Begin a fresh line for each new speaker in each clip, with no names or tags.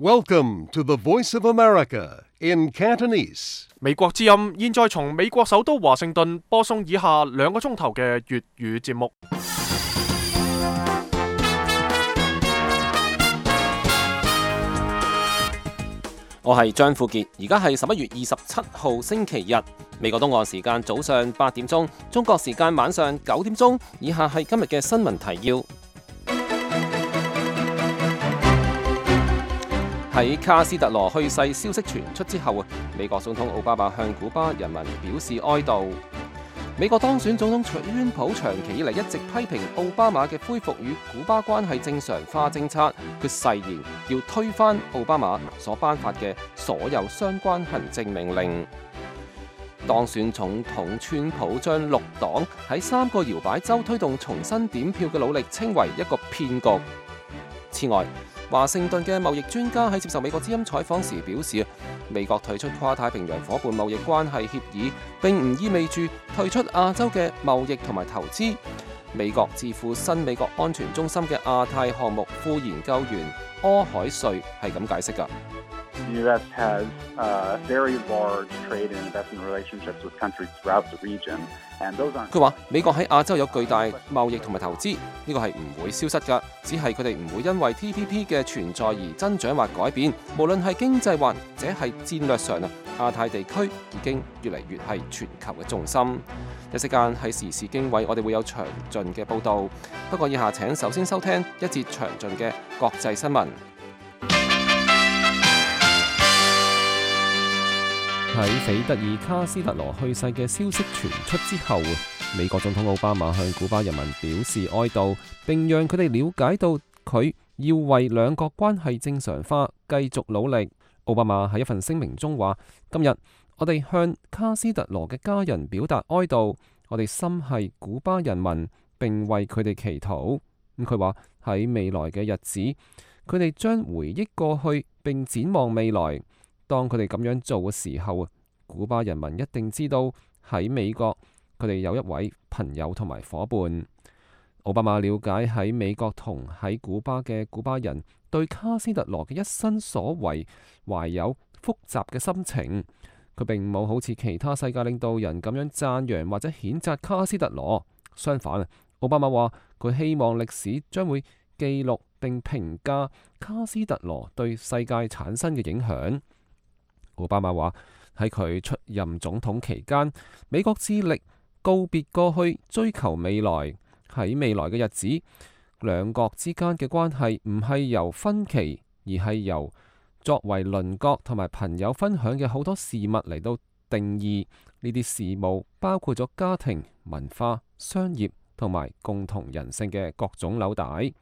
Welcome to the Voice of America in Cantonese.
美國之音現在從美國首都華盛頓播送以下2個鐘頭嘅粵語節目。
我係張富傑，而家係11月27號星期日，美國東岸時間早上8點鐘，中國時間晚上9點鐘。以下係今日嘅新聞提要。喺卡斯特羅去世消息傳出之後，美國總統奧巴馬向古巴人民表示哀悼。美國當選總統川普長期以嚟一直批評奧巴馬嘅恢復與古巴關係正常化政策，佢誓言要推翻奧巴馬所頒發嘅所有相關行政命令。當選總統川普將綠黨喺3個搖擺州推動重新點票嘅努力稱為一個騙局。此外，華盛頓嘅貿易專家喺接受美國之音採訪時表示，美國退出跨太平洋夥伴貿易關係協議並唔意味住退出亞洲嘅貿易同埋投資。美國智庫新美國安全中心嘅亞太項目副研究員柯海瑞係咁解釋㗎。
The U.S. has very large trade and investment relationships with countries throughout the region, and those aren't.
佢話美國喺亞洲有巨大貿易同埋投資，呢個係唔會消失㗎，只係佢哋唔會因為 TPP 嘅存在而增長或改變。無論係經濟或者係戰略上亞太地區已經越嚟越係全球嘅重心。一時間係時事經緯，我哋會有詳盡嘅報導。不過以下請首先收聽一節詳盡嘅國際新聞。喺斐德爾卡斯特羅去世嘅消息傳出之後，美國總統奧巴馬向古巴人民表示哀悼，並讓佢哋了解到佢要為兩國關係正常化繼續努力。奧巴馬喺一份聲明中話：今日我哋向卡斯特羅嘅家人表達哀悼，我哋心繫古巴人民，並為佢哋祈禱。佢話喺未來嘅日子，佢哋將回憶過去並展望未來。當佢哋咁樣做嘅時候，古巴人民一定知道喺美國佢哋有一位朋友同埋伙伴。奧巴馬了解喺美國同喺古巴嘅古巴人對卡斯特羅嘅一生所為懷有複雜嘅心情。佢並冇好似其他世界領導人咁樣讚揚或者譴責卡斯特羅。相反，奧巴馬話佢希望歷史將會記錄並評價卡斯特羅對世界產生嘅影響。奧巴馬話喺佢出任總統期間，美國致力告別過去，追求未來。喺未來嘅日子，兩國之間嘅關係唔係由分歧，而係由作為鄰國同埋朋友分享嘅好多事物嚟到定義。呢啲事務包括咗家庭、文化、商業同埋共同人性嘅各種紐帶。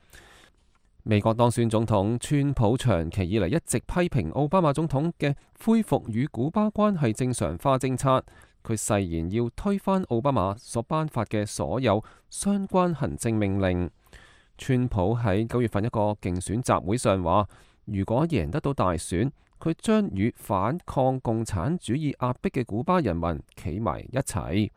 美國當選總統川普長期以嚟一直批評奧巴馬總統嘅恢復與古巴關係正常化政策，佢誓言要推翻奧巴馬所頒發嘅所有相關行政命令。川普喺9月份一個競選集會上話，如果贏得到大選，佢將與反抗共產主義壓迫嘅古巴人民企埋一齊。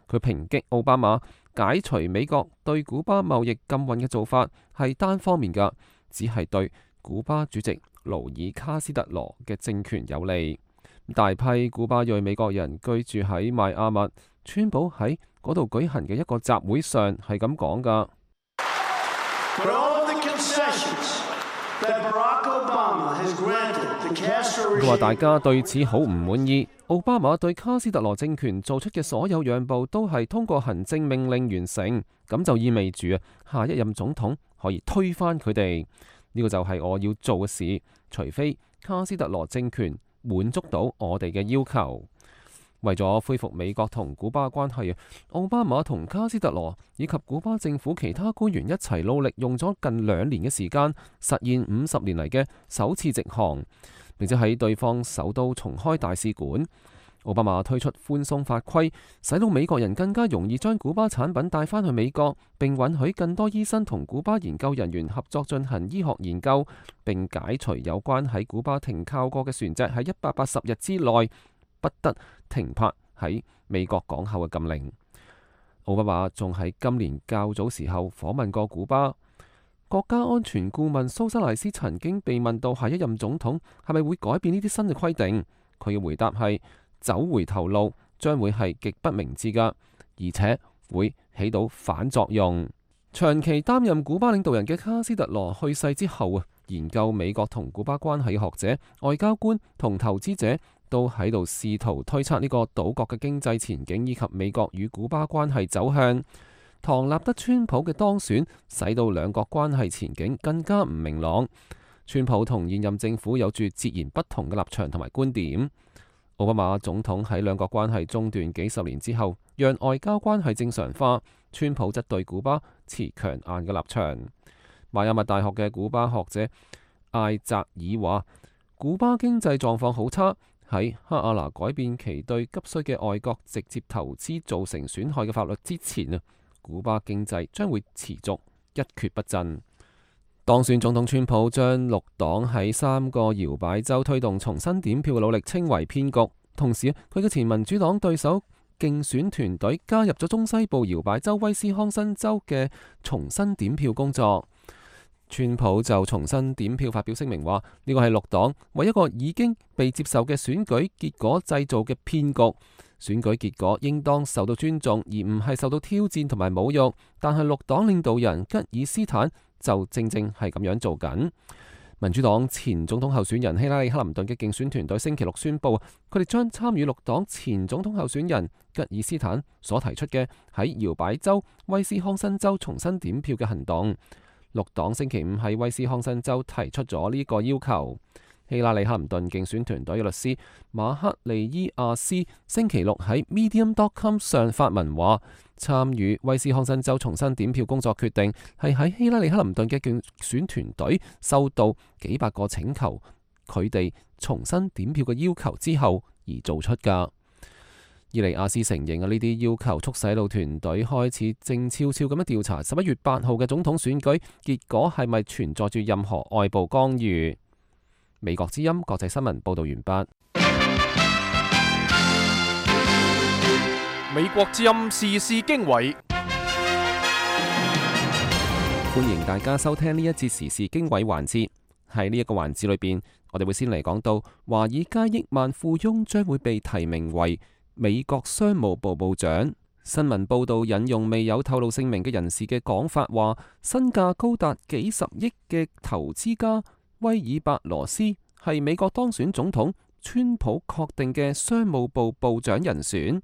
佢抨擊奧巴馬解除美國對古巴貿易禁運嘅做法係單方面嘅，只係對古巴主席勞爾卡斯特羅嘅政權有利。大批古巴裔美國人居住喺邁阿密，川普喺嗰度舉行嘅一個集會上係咁講㗎。佢話大家對此好唔滿意，奧巴馬對卡斯特羅政權做出嘅所有讓步都係通過行政命令完成，咁就意味住下一任總統可以推翻佢哋。呢個就係我要做嘅事，除非卡斯特羅政權滿足到我哋嘅要求。為咗恢復美國同古巴關係，奧巴馬同卡斯特羅以及古巴政府其他官員一齊努力，用咗近2年嘅時間，實現50年嚟嘅首次直航，並且喺對方首都重開大使館。奧巴馬推出寬鬆法規，使到美國人更加容易將古巴產品帶返去美國，並允許更多醫生同古巴研究人員合作進行醫學研究，並解除有關喺古巴停靠過嘅船隻喺180日之內不得停泊喺美國港口嘅禁令。奧巴馬仲喺今年較早時候訪問過古巴。國家安全顧問蘇塞賴斯曾經被問到下一任總統係咪會改變呢啲新嘅規定，佢嘅回答係走回頭路將會係極不明智㗎，而且會起到反作用。長期擔任古巴領導人嘅卡斯特羅去世之後研究美國同古巴關係嘅學者、外交官同投資者都喺度試圖推測呢個島國嘅經濟前景以及美國與古巴關係走向。唐納德川普嘅當選使到兩國關係前景更加唔明朗。川普同現任政府有住截然不同嘅立場同埋觀點。奧巴馬總統喺兩國關係中斷幾十年之後，讓外交關係正常化。川普則對古巴持強硬嘅立場。邁阿密大學嘅古巴學者艾澤爾話，古巴經濟狀況好差，喺哈瓦那改變其對急需嘅外國直接投資造成損害嘅法律之前古巴經濟將會持續一蹶不振。當選總統川普將綠黨喺3個搖擺州推動重新點票嘅努力稱為騙局，同時佢嘅前民主黨對手競選團隊加入咗中西部搖擺州威斯康辛州嘅重新點票工作。川普就重新點票發表聲明話，呢個係綠黨為一個已經被接受嘅選舉結果製造嘅騙局。選舉結果應當受到尊重，而唔係受到挑戰同埋侮辱。但係綠黨領導人吉爾斯坦就正正係咁樣做緊。民主黨前總統候選人希拉里克林頓嘅競選團隊星期六宣布，佢哋將參與綠黨前總統候選人吉爾斯坦所提出嘅喺搖擺州威斯康辛州重新點票嘅行動。綠黨星期五喺威斯康辛州提出咗呢個要求。希拉里克林頓競選團隊嘅律師馬克利伊亞斯星期六喺 Medium.com 上發文話，參與威斯康辛州重新點票工作決定係喺希拉里克林頓嘅競選團隊收到幾百個請求佢哋重新點票嘅要求之後而做出㗎。伊利亞斯承認呢啲要求促使到團隊開始靜悄悄咁樣調查11月8號嘅總統選舉結果係咪存在住任何外部干預。美國之音國際新聞報道完畢。
美國之音時事經緯，
歡迎大家收聽呢一節時事經緯環節。喺呢一個環節裏邊，我哋會先嚟講到華爾街億萬富翁將會被提名為美國商務部部長。新聞報道引用未有透露姓名嘅人士嘅講法話，身價高達幾十億嘅投資家威爾伯羅斯係美國當選總統川普確定嘅商務部部長人選。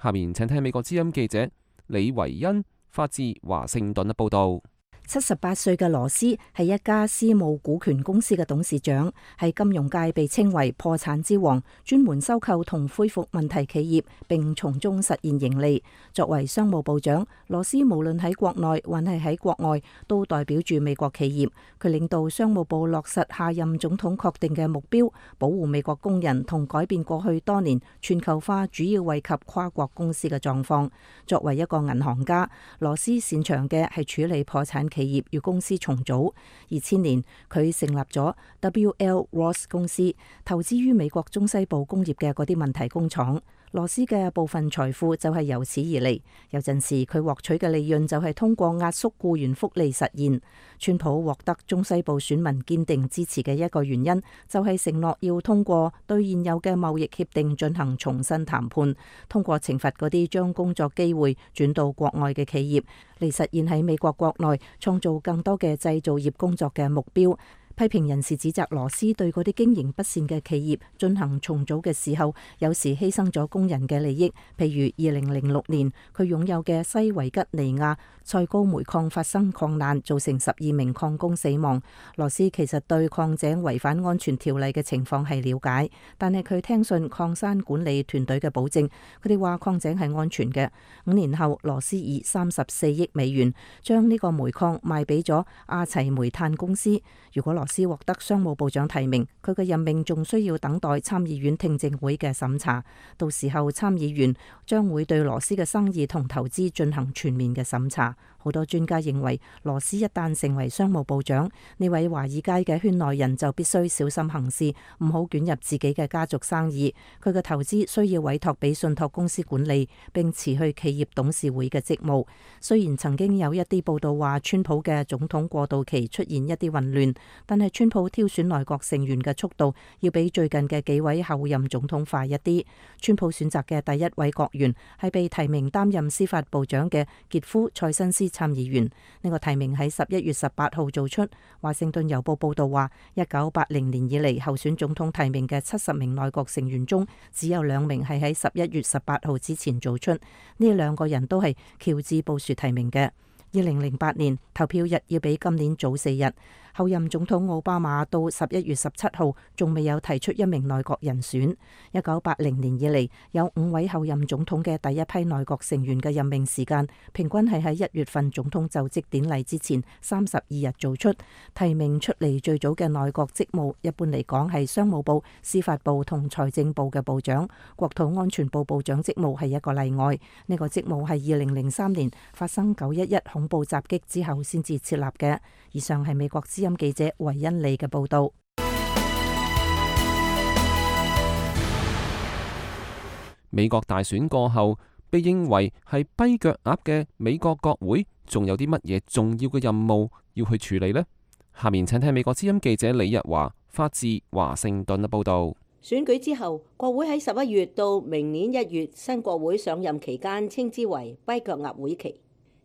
下面請聽美國之音記者李維恩發自華盛頓嘅報道。
78歲嘅羅斯係一家私募股權公司嘅董事長，喺金融界被稱為破產之王，專門收購同恢復問題企業，並從中實現盈利。作為商務部長，羅斯無論喺國內還係喺國外，都代表住美國企業。佢領導商務部落實下任總統確定嘅目標，保護美國工人同改變過去多年全球化主要惠及跨國公司嘅狀況。作為一個銀行家，羅斯擅長嘅係處理破產企業與公司重組。2000年，佢成立咗 W.L. Ross 公司，投資於美國中西部工業嘅嗰啲問題工廠。羅斯嘅部分財富就係由此而嚟，有陣時佢獲取嘅利潤就係通過壓縮僱員福利實現。川普獲得中西部選民堅定支持嘅一個原因，就係承諾要通過對現有嘅貿易協定進行重新談判，通過懲罰嗰啲將工作機會轉到國外嘅企業，嚟實現喺美國國內創造更多嘅製造業工作嘅目標。批評人士指責羅斯對嗰啲經營不善嘅企業進行重組嘅時候，有時犧牲咗工人嘅利益。譬如2006年，佢擁有嘅西維吉尼亞塞高煤礦發生礦難，造成12名礦工死亡。羅斯其實對礦井違反安全條例嘅情況係了解，但係佢聽信礦山管理團隊嘅保證，佢哋話礦井係安全嘅。5年後，羅斯以34億美元將呢個煤礦賣俾咗阿齊煤炭公司。如果羅斯獲得商務部長提名，佢嘅任命仲需要等待參議院聽證會嘅審查，到時候參議員將會對羅斯嘅生意同投資進行全面嘅審查。好多專家認為，羅斯一旦成為商務部長，呢位華爾街嘅圈內人就必須小心行事，唔好捲入自己嘅家族生意。佢嘅投資需要委託俾信託公司管理，並辭去企業董事會嘅職務。雖然曾經有一啲報道話，川普嘅總統過渡期出現一啲混亂，但係川普挑選內閣成員嘅速度要比最近嘅幾位候任總統快一啲。川普選擇嘅第一位閣員係被提名擔任司法部長嘅傑夫塞申斯參議員。呢個提名喺11月18號做出。華盛頓郵報報道話，1980年以嚟候選總統提名嘅70名內閣成員中，只有2名係喺11月18號之前做出。呢2個人都係喬治布殊提名嘅。2008年投票日要比今年早4日。後任總統奧巴馬到11月17號仲未有提出一名內閣人選。1980年以嚟有5位後任總統嘅第一批內閣成員嘅任命時間，平均係喺1月份總統就職典禮之前32日做出。提名出嚟最早嘅內閣職務，一般嚟講係商務部、司法部同財政部嘅部長。國土安全部部長職務係一個例外。呢個職務係2003年發生911恐怖襲擊之後先至設立嘅。以上係美國之音記者維恩利嘅報道。
美國大選過後，被認為係跛腳鴨嘅美國國會，仲有啲乜嘢重要嘅任務要去處理呢？下面請聽美國之音記者李日華發自華盛頓嘅報道。
選舉之後，國會喺11月到明年1月新國會上任期間，稱之為跛腳鴨會期。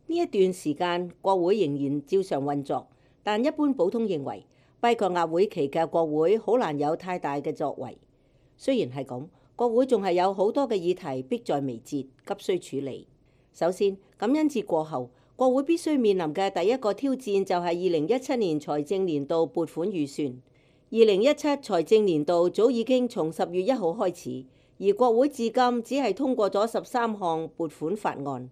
呢一段時間，國會仍然照常運作，但一般普通認為，跛腳鴨會期嘅國會好難有太大嘅作為。雖然係咁，國會仲係有好多嘅議題迫在眉睫，急需處理。首先，感恩節過後，國會必須面臨嘅第一個挑戰就係2017年財政年度撥款預算。2017財政年度早已經從10月1號開始，而國會至今只係通過咗13項撥款法案。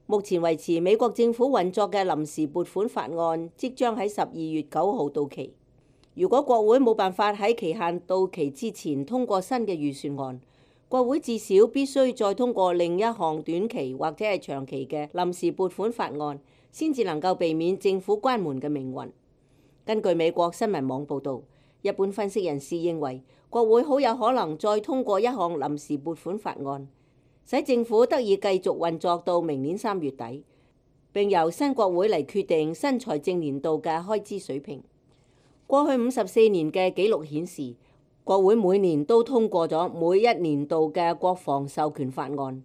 目前維持美國政府運作嘅臨時撥款法案即將喺12月9號到期。如果國會冇辦法喺期限到期之前通過新嘅預算案，國會至少必須再通過另一項短期或者係長期嘅臨時撥款法案，先至能夠避免政府關門嘅命運。根據美國新聞網報導，一般分析人士認為，國會好有可能再通過一項臨時撥款法案，使政府得以繼續運作到明年3月底，並由新國會嚟決定新財政年度嘅開支水平。過去54年嘅紀錄顯示，國會每年都通過咗每一年度嘅國防授權法案。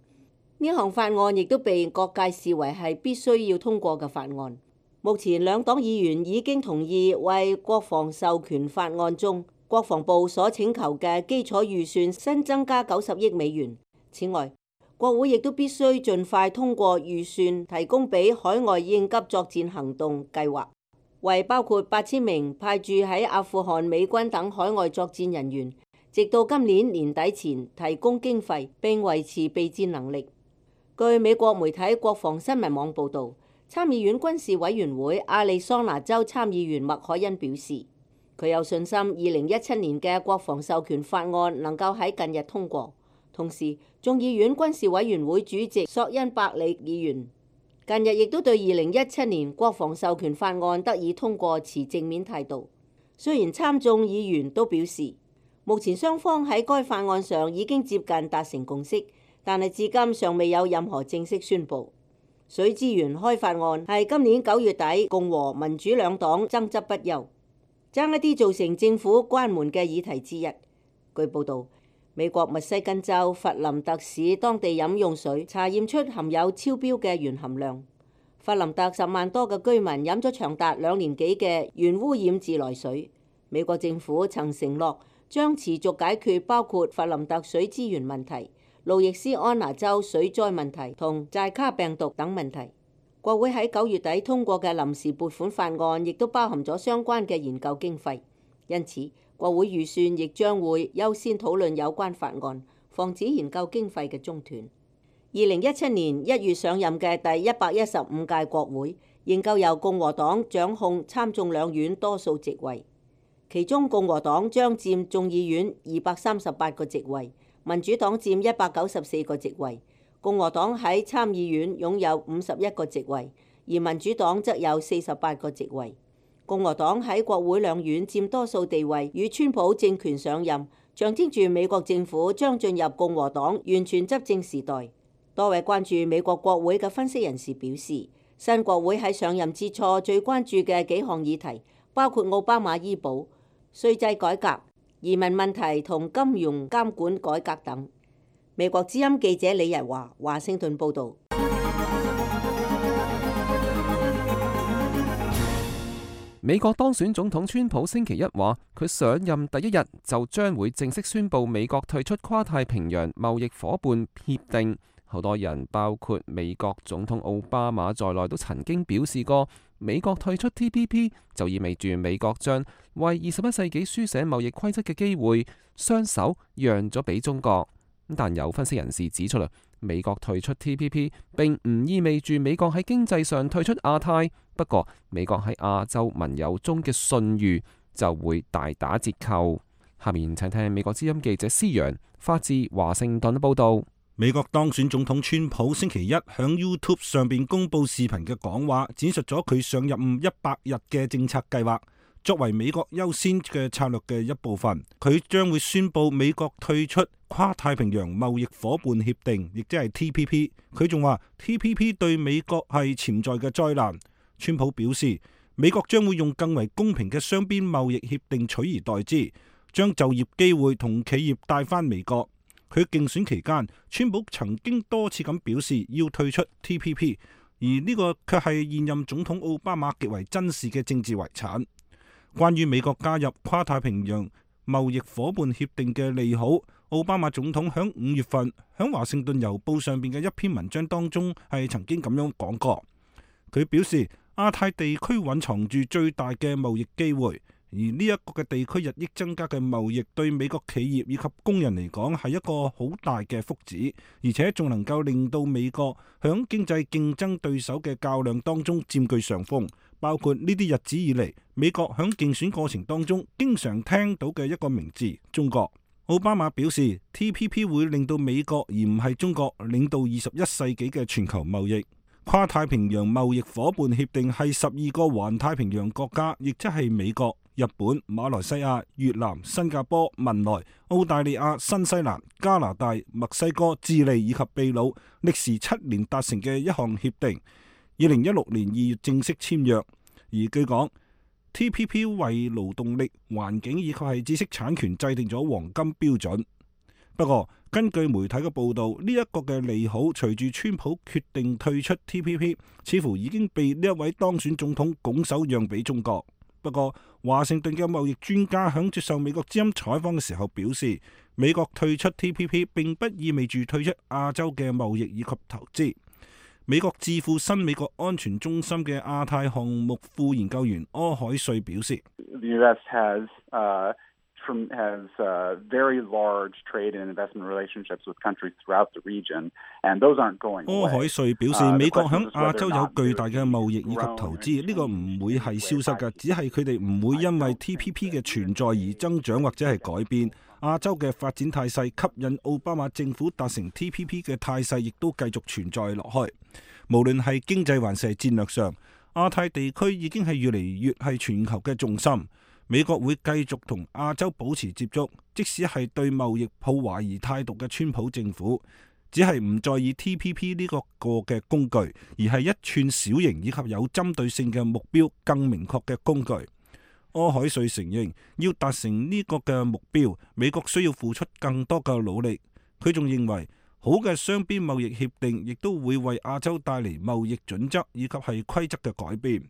呢項法案亦都被各界視為係必須要通過嘅法案。目前兩黨議員已經同意為國防授權法案中國防部所請求嘅基礎預算新增加90億美元。此外，國會亦都必須盡快通過預算，提供俾海外應急作戰行動計劃，為包括8000名派駐喺阿富汗美軍等海外作戰人員，直到今年年底前提供經費並維持備戰能力。據美國媒體國防新聞網報導，參議院軍事委員會亞利桑那州參議員麥凱恩表示，佢有信心2017年嘅國防授權法案能夠喺近日通過。同時，眾議院軍事委員會主席索恩伯里議員近日亦都對2017年國防授權法案得以通過持正面態度。雖然參眾議員都表示，目前雙方喺該法案上已經接近達成共識，但係至今尚未有任何正式宣布。水資源開發案係今年9月底共和民主兩黨爭執不休，爭一啲造成政府關門嘅議題之一。據報導，美國密西根州弗林特市當地飲用水查驗出含有超標嘅鉛含量。弗林特10萬多嘅居民飲咗長達2年幾嘅鉛污染自來水。美國政府曾承諾將持續解決包括弗林特水資源問題、路易斯安那州水災問題同寨卡病毒等問題。國會喺9月底通過嘅臨時撥款法案亦都包含咗相關嘅研究經費，因此國會預算亦將會優先討論有關法案，防止研究經費嘅中斷。2017年1月上任嘅第115屆國會仍舊由共和黨掌控參眾兩院多數席位，其中共和黨將佔眾議院238個席位，民主黨佔194個席位。共和黨喺參議院擁有51個席位，而而民主黨則有48個席位。共和黨喺國會兩院佔多數地位，與川普政權上任，象徵住美國政府將進入共和黨完全執政時代。多位關注美國國會嘅分析人士表示，新國會喺上任之初最關注嘅幾項議題，包括奧巴馬醫保、稅制改革、移民問題同金融監管改革等。美國之音記者李日華，華盛頓報導。
美國當選總統川普星期一話，佢上任第一日就將會正式宣布美國退出跨太平洋貿易夥伴協定。好多人，包括美國總統奧巴馬在內，都曾經表示過，美國退出 TPP 就意味住美國將為21世紀書寫貿易規則嘅機會雙手讓咗俾中國。但有分析人士指出啦，美國退出 TPP 並唔意味住美國喺經濟上退出亞太，不過美國喺亞洲盟友中嘅信譽就會大打折扣。下面請聽美國之音記者施陽發自華盛頓報道。
美國當選總統川普星期一響 YouTube 上邊公布視頻嘅講話，展述咗佢上任100日嘅政策計劃。作為美國優先嘅策略嘅一部分，佢將會宣布美國退出跨太平洋貿易夥伴協定，亦即係 TPP。佢仲話 TPP 對美國係潛在嘅災難。川普表示，美國將會用更為公平嘅雙邊貿易協定取而代之，將就業機會同企業帶返美國。佢競選期間，川普曾經多次咁表示要退出 TPP， 而呢個卻係現任總統奧巴馬極為珍視嘅政治遺產。關於美國加入跨太平洋貿易夥伴協定嘅利好，奧巴馬總統響5月份響華盛頓郵報上邊嘅一篇文章當中係曾經咁樣講過。佢表示，亞太地區蘊藏住最大嘅貿易機會，而呢一個嘅地區日益增加嘅貿易對美國企業以及工人嚟講係一個好大嘅福祉，而且仲能夠令到美國響經濟競爭對手嘅較量當中佔據上風。包括呢啲日子以嚟，美國響競選過程當中經常聽到嘅一個名字——中國。奧巴馬表示 ，TPP 會令到美國而唔係中國領導21世紀嘅全球貿易。跨太平洋貿易夥伴協定係12個環太平洋國家，亦即係美國、日本、馬來西亞、越南、新加坡、文萊、澳大利亞、新西蘭、加拿大、墨西哥、智利以及秘魯歷時7年達成嘅一項協定。2016年2月正式簽約，而據講 TPP 為勞動力、環境以及係知識產權制定咗黃金標準。不過根據媒體嘅報道，呢一個嘅利好隨住川普決定退出 TPP， 似乎已經被呢一位當選總統拱手讓俾中國。不過華盛頓嘅貿易專家響接受美國之音採訪嘅時候表示，美國退出 TPP 並不意味住退出亞洲嘅貿易以及投資。美國智庫新美國安全中心嘅亞太項目副研究員柯海瑞表示
，The U.S. has very large trade and investment relationships with countries throughout the region, and those aren't going away.
柯海瑞表示，美國響亞洲有巨大嘅貿易以及投資，呢個唔會係消失嘅，只係佢哋唔會因為 TPP 嘅存在而增長或者係改變。亞洲嘅發展態勢吸引奧巴馬政府達成 TPP 嘅態勢，亦都繼續存在落去。無論係經濟還是戰略上，亞太地區已經係越嚟越係全球嘅重心。美國會繼續同亞洲保持接觸，即使係對貿易抱懷疑態度嘅川普政府，只係唔再以 TPP 呢個嘅工具，而係一串小型以及有針對性嘅目標更明確嘅工具。柯海瑞承認，要達成呢個嘅目標，美國需要付出更多嘅努力。佢仲認為，好嘅雙邊貿易協定亦都會為亞洲帶嚟貿易準則以及係規則嘅改變。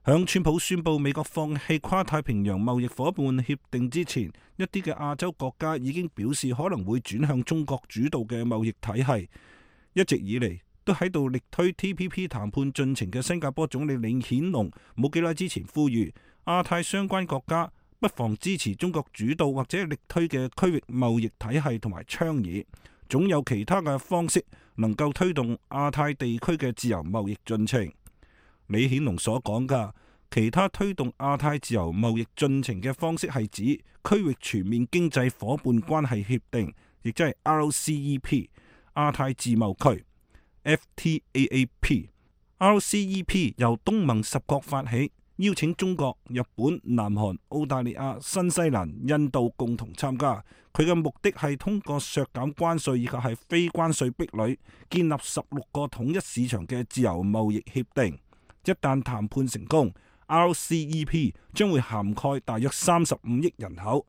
響川普宣布美國放棄跨太平洋貿易夥伴協定之前，一啲嘅亞洲國家已經表示可能會轉向中國主導嘅貿易體系。一直以嚟都喺度力推 TPP 談判進程嘅新加坡總理李顯龍，冇幾耐之前呼籲亞太相關國家不妨支持中國主導或者力推嘅區域貿易體系同埋倡議，總有其他嘅方式能夠推動亞太地區嘅自由貿易進程。李顯龍所講嘅其他推動亞太自由貿易進程嘅方式係指區域全面經濟夥伴關係協定，亦即係 RCEP、亞太自貿區、FTAAP、RCEP 由東盟10國發起，邀請中國、日本、南韓、澳大利亞、新西蘭、印度共同參加。佢嘅目的係通過削減關稅以及係非關稅壁壘，建立16個統一市場嘅自由貿易協定。一旦談判成功， RCEP 將會涵蓋大約35億人口，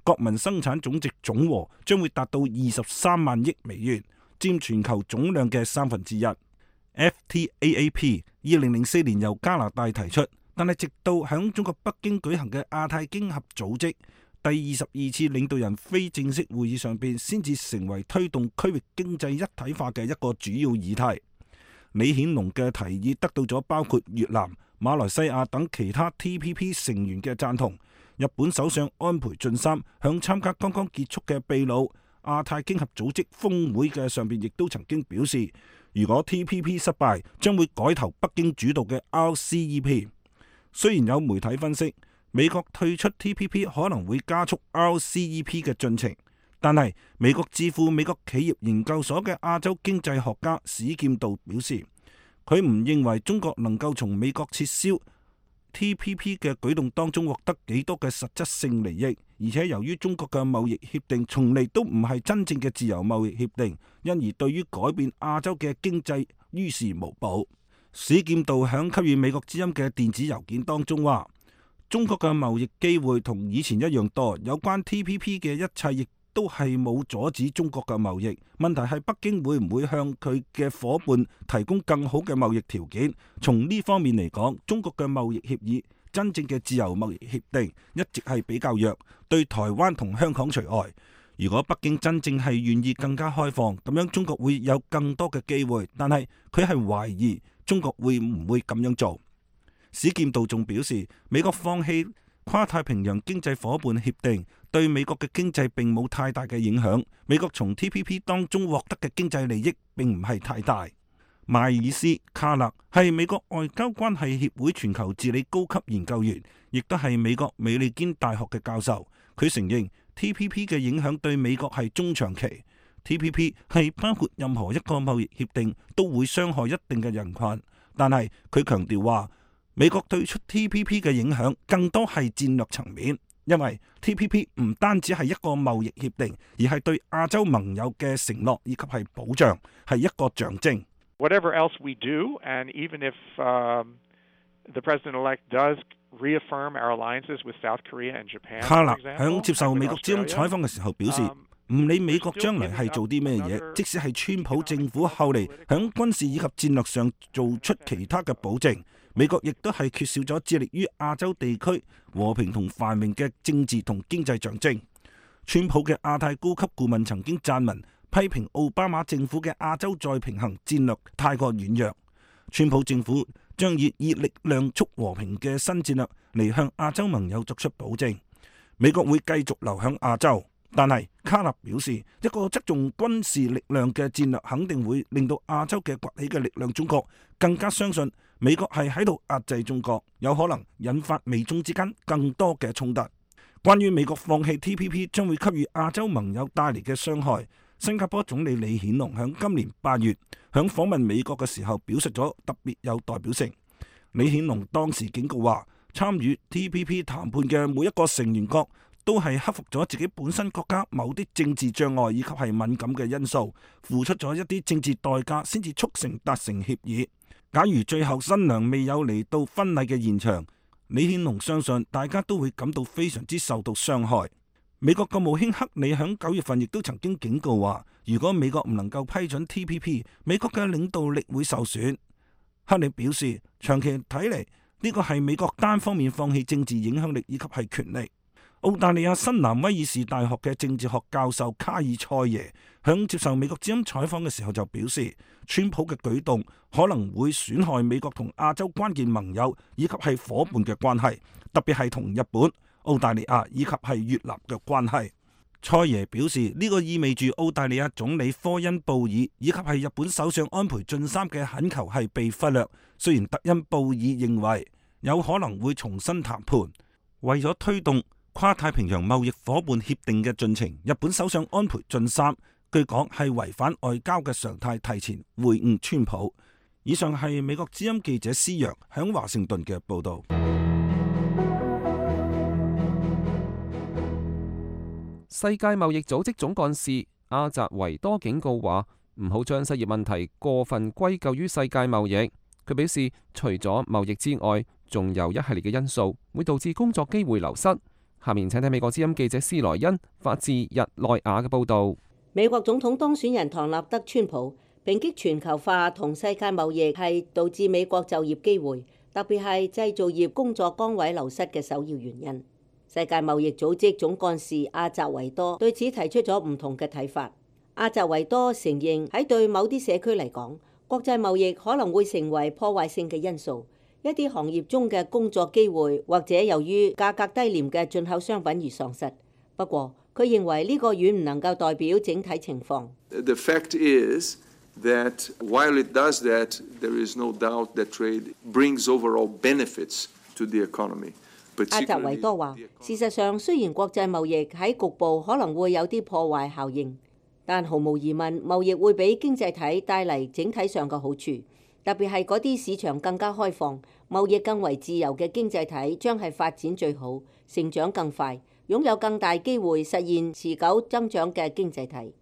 國民生產總值總和將會達到23萬億美元，佔全球總量嘅1/3。FTAAP 2004年由加拿大提出，但係直到響中國北京舉行嘅亞太經合組織第22次領導人非正式會議上邊，先至成為推動區域經濟一體化嘅一個主要議題。李顯龍嘅提議得到咗包括越南、馬來西亞等其他 TPP 成員嘅贊同。日本首相安倍晉三響參加剛剛結束嘅秘魯亞太經合組織峰會嘅上邊，亦都曾經表示，如果 TPP 失敗，將會改投北京主導嘅 RCEP。雖然有媒體分析，美國退出 TPP 可能會加速 RCEP 嘅進程，但係美國智庫美國企業研究所嘅亞洲經濟學家史劍道表示，佢唔認為中國能夠從美國撤銷 TPP 嘅舉動當中獲得幾多嘅實質性利益，而且由於中國嘅貿易協定從嚟都唔係真正嘅自由貿易協定，因而對於改變亞洲嘅經濟於事無補。史劍道響給予美國之音嘅電子郵件當中話，中國嘅貿易機會同以前一樣多，有關 TPP 嘅一切亦都係冇阻止中國嘅貿易。問題係北京會唔會向佢嘅夥伴提供更好嘅貿易條件？從呢方面嚟講，中國嘅貿易協議真正嘅自由貿易協定一直係比較弱，對台灣同香港除外。如果北京真正係願意更加開放，咁樣中國會有更多嘅機會，但係佢係懷疑中國會唔會咁樣做。史劍道仲表示，美國放棄跨太平洋經濟夥伴協定對美國嘅經濟並冇太大嘅影響，美國從 TPP 當中獲得嘅經濟利益並唔係太大。邁爾斯·卡勒係美國外交關係協會全球治理高級研究員，亦都係美國美利堅大學嘅教授。佢承認 TPP 嘅影響對美國係中長期。TPP 係包括任何一個貿易協定都會傷害一定嘅人群，但係佢強調話，美國退出 TPP 嘅影響更多係戰略層面，因為 TPP 唔單止係一個貿易協定，而係對亞洲盟友嘅承諾以及係保障，係一個象徵。
Whatever else we do, and even if the president-elect does reaffirm our alliances with South Korea and Japan,
卡勒響接受美國之音採訪嘅時候表示，唔理美國將來係做啲咩嘢，即使係川普政府後嚟響軍事以及戰略上做出其他嘅保證，美國亦都係缺少咗致力於亞洲地區和平同繁榮嘅政治同經濟象徵。川普嘅亞太高級顧問曾經撰文批評奧巴馬政府嘅亞洲再平衡戰略太過軟弱。川普政府將以力量促和平嘅新戰略嚟向亞洲盟友作出保證，美國會繼續留響亞洲。但係卡納表示，一個側重軍事力量嘅戰略肯定會令到亞洲嘅崛起嘅力量中國更加相信美國係喺度壓制中國，有可能引發美中之間更多嘅衝突。關於美國放棄 TPP 將會給予亞洲盟友帶嚟嘅傷害，新加坡總理李顯龍響今年8月響訪問美國嘅時候表述咗特別有代表性。李顯龍當時警告話，參與 TPP 談判嘅每一個成員國都係克服咗自己本身國家某啲政治障礙以及係敏感嘅因素，付出咗一啲政治代價先至促成達成協議。假如最後新娘未有嚟到婚禮嘅現場，李顯龍相信大家都會感到非常之受到傷害。美國國務卿克里響9月份亦都曾經警告話，如果美國唔能夠批准 TPP， 美國嘅領導力會受損。克里表示，長期睇嚟呢個係美國單方面放棄政治影響力以及係權力。澳大利亞新南威爾士大學嘅政治學教授卡爾塞耶響接受美國之音採訪嘅時候就表示，川普嘅舉動可能會損害美國同亞洲關鍵盟友以及係夥伴嘅關係，特別係同日本、澳大利亞以及係越南嘅關係。塞耶表示，呢個意味住澳大利亞總理科恩布爾以及係日本首相安倍晉三嘅懇求係被忽略。雖然特恩布爾認為有可能會重新談判，為咗推動跨太平洋貿易夥伴協定嘅進程，日本首相安倍晉三據講係違反外交嘅常態，提前會晤川普。以上係美國之音記者施陽響華盛頓嘅報導。
世界貿易組織總幹事阿扎維多警告話，唔好將失業問題過分歸咎於世界貿易。佢表示，除咗貿易之外，仲有一系列嘅因素會導致工作機會流失。下面請睇美國之音記者斯萊恩發自日內瓦嘅報導。
美國總統當選人唐納德·川普抨擊全球化同世界貿易係導致美國就業機會，特別係製造業工作崗位流失嘅首要原因。世界貿易組織總幹事阿扎維多對此提出咗唔同嘅睇法。阿扎維多承認喺對某啲社區嚟講，國際貿易可能會成為破壞性嘅因素，一啲行業中嘅工作機會或者由於價格低廉嘅進口商品而喪失。不過，佢認為呢個遠唔能夠代表整體情況。
The fact is that while it does that, there is no doubt that trade brings overall benefits to the economy.
阿扎維多話：事實上，雖然國際貿易喺局部可能會有啲破壞效應，但毫無疑問，貿易會俾經濟體帶嚟整體上嘅好處，特別係嗰啲市場更加開放、貿易更為自由嘅經濟體，將係發展最好、成長更快、擁有更大機會實現持久增長嘅經濟體。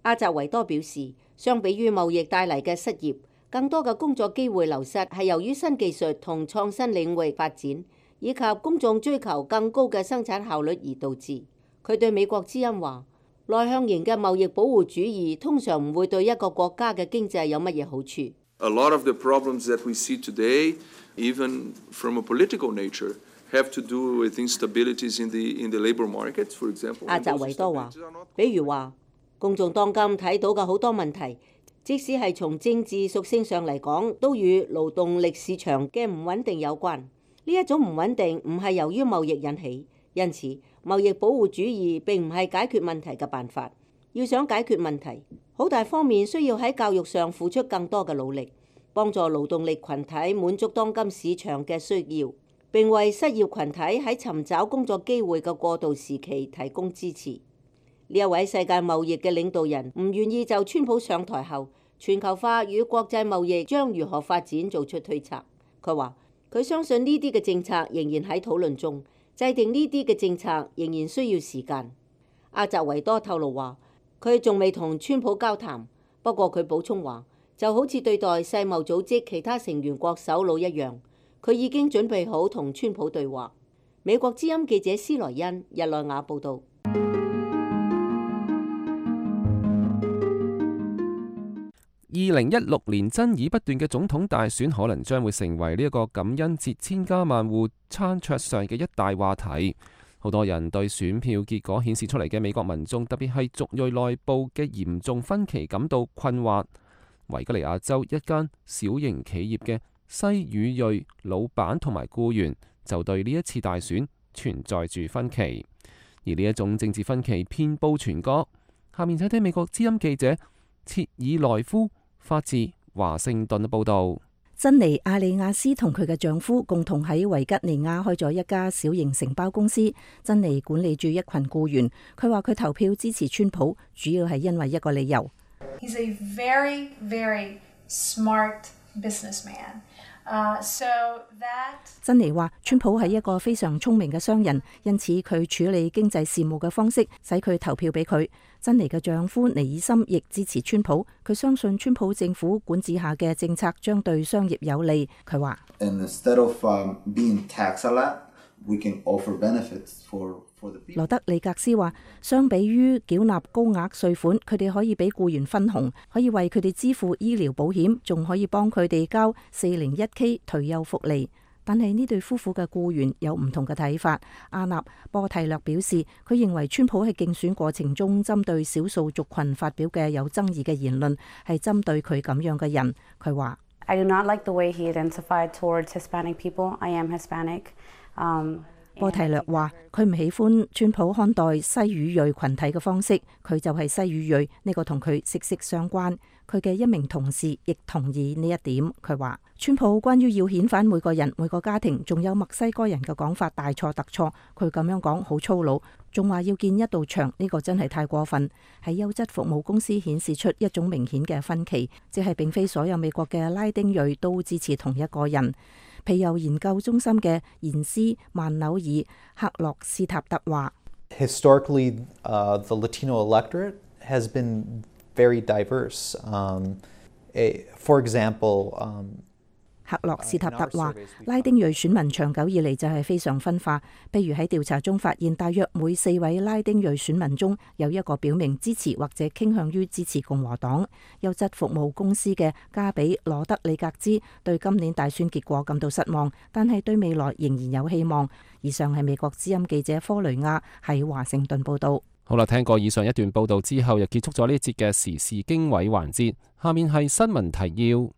阿扎維多表示，相比於貿易帶嚟嘅失業，更多嘅工作機會流失係由於新技術同創新領域發展，以及公眾追求更高嘅生產效率而導致。佢對美國之音話：內向型嘅貿易保護主義通常唔會對一個國家嘅經濟有乜嘢好處。
A lot of the problems that we see today, even from a political nature, have to do with instabilities in the labor markets, for example.
阿扎維多話：比如話，公眾當今睇到嘅好多問題，即使係從政治屬性上嚟講，都與勞動力市場嘅唔穩定有關。呢一種唔穩定唔係由於貿易引起，因此貿易保護主義並唔係解決問題嘅辦法。要想解決問題，好大方面需要喺教育上付出更多嘅努力，幫助勞動力群體滿足當今市場嘅需要，並為失業群體喺尋找工作機會嘅過渡時期提供支持。呢一位世界貿易嘅領導人唔願意就川普上台後全球化與國際貿易將如何發展做出推測。佢話：佢相信呢啲嘅政策仍然喺討論中，制定呢啲嘅政策仍然需要時間。阿扎維多透露話，佢仲未同川普交談，不過佢補充話，就好似對待世貿組織其他成員國首腦一樣，佢已經準備好同川普對話。美國之音記者斯萊恩日內瓦報導。
2016年爭議不斷嘅總統大選，可能將會成為呢一個感恩節千家萬戶餐桌上嘅一大話題。好多人對選票結果顯示出嚟嘅美國民眾，特別係族裔內部嘅嚴重分歧感到困惑。維吉尼亞州一間小型企業嘅西語裔老闆同埋僱員就對呢一次大選存在住分歧，而呢一種政治分歧遍佈全國。下面請聽美國之音記者切爾內夫發自華盛頓嘅報道。
珍妮亞利亞斯同佢嘅丈夫共同喺維吉尼亞開咗一家小型承包公司。珍妮管理住一群僱員，佢話佢投票支持川普，主要係因為一個理由。
He's a very, very smart businessman. So
珍妮話川普係一個非常聰明嘅商人，因此佢處理經濟事務嘅方式使佢投票俾佢。珍妮嘅丈夫尼爾森亦支持川普，佢相信川普政府管治下嘅政策將對商業有利。佢話羅德里格斯話，相比於繳納高額稅款，佢哋可以俾僱員分紅，可以為佢哋支付醫療保險，仲可以幫佢哋交 401k 退休福利。但係呢對夫婦嘅僱員有唔同嘅睇法。阿納波蒂略表示，佢認為川普喺競選過程中針對少數族群發表嘅有爭議嘅言論，係針對佢咁樣嘅人。佢話
：I do not like the way he identified towards Hispanic people. I am Hispanic.
波提略話：佢唔喜歡川普看待西語裔群體嘅方式，佢就係西語裔，呢個同佢息息相關。佢嘅一名同事亦同意呢一點。佢話：川普關於要遣返每個人、每個家庭，仲有墨西哥人嘅講法大錯特錯。佢咁樣講好粗魯，仲話要建一道牆，呢個真係太過分。喺優質服務公司顯示出一種明顯嘅分歧，即係並非所有美國嘅拉丁裔都支持同一個人。皮尤研究中心嘅研師曼紐爾克洛斯塔特話
：Historically, the Latino electorate has been very diverse. For example,
克洛斯塔特話，拉丁裔選民長久以嚟就係非常分化。譬如喺調查中發現，大約每4位拉丁裔選民中有一個表明支持或者傾向於支持共和黨。優質服務公司嘅加比羅德里格茲對今年大選結果感到失望，但係對未來仍然有希望。以上係美國之音記者科雷亞喺華盛頓報道。
好啦，聽過以上一段報道之後，又結束咗呢一節嘅時事經緯環節。下面係新聞提要。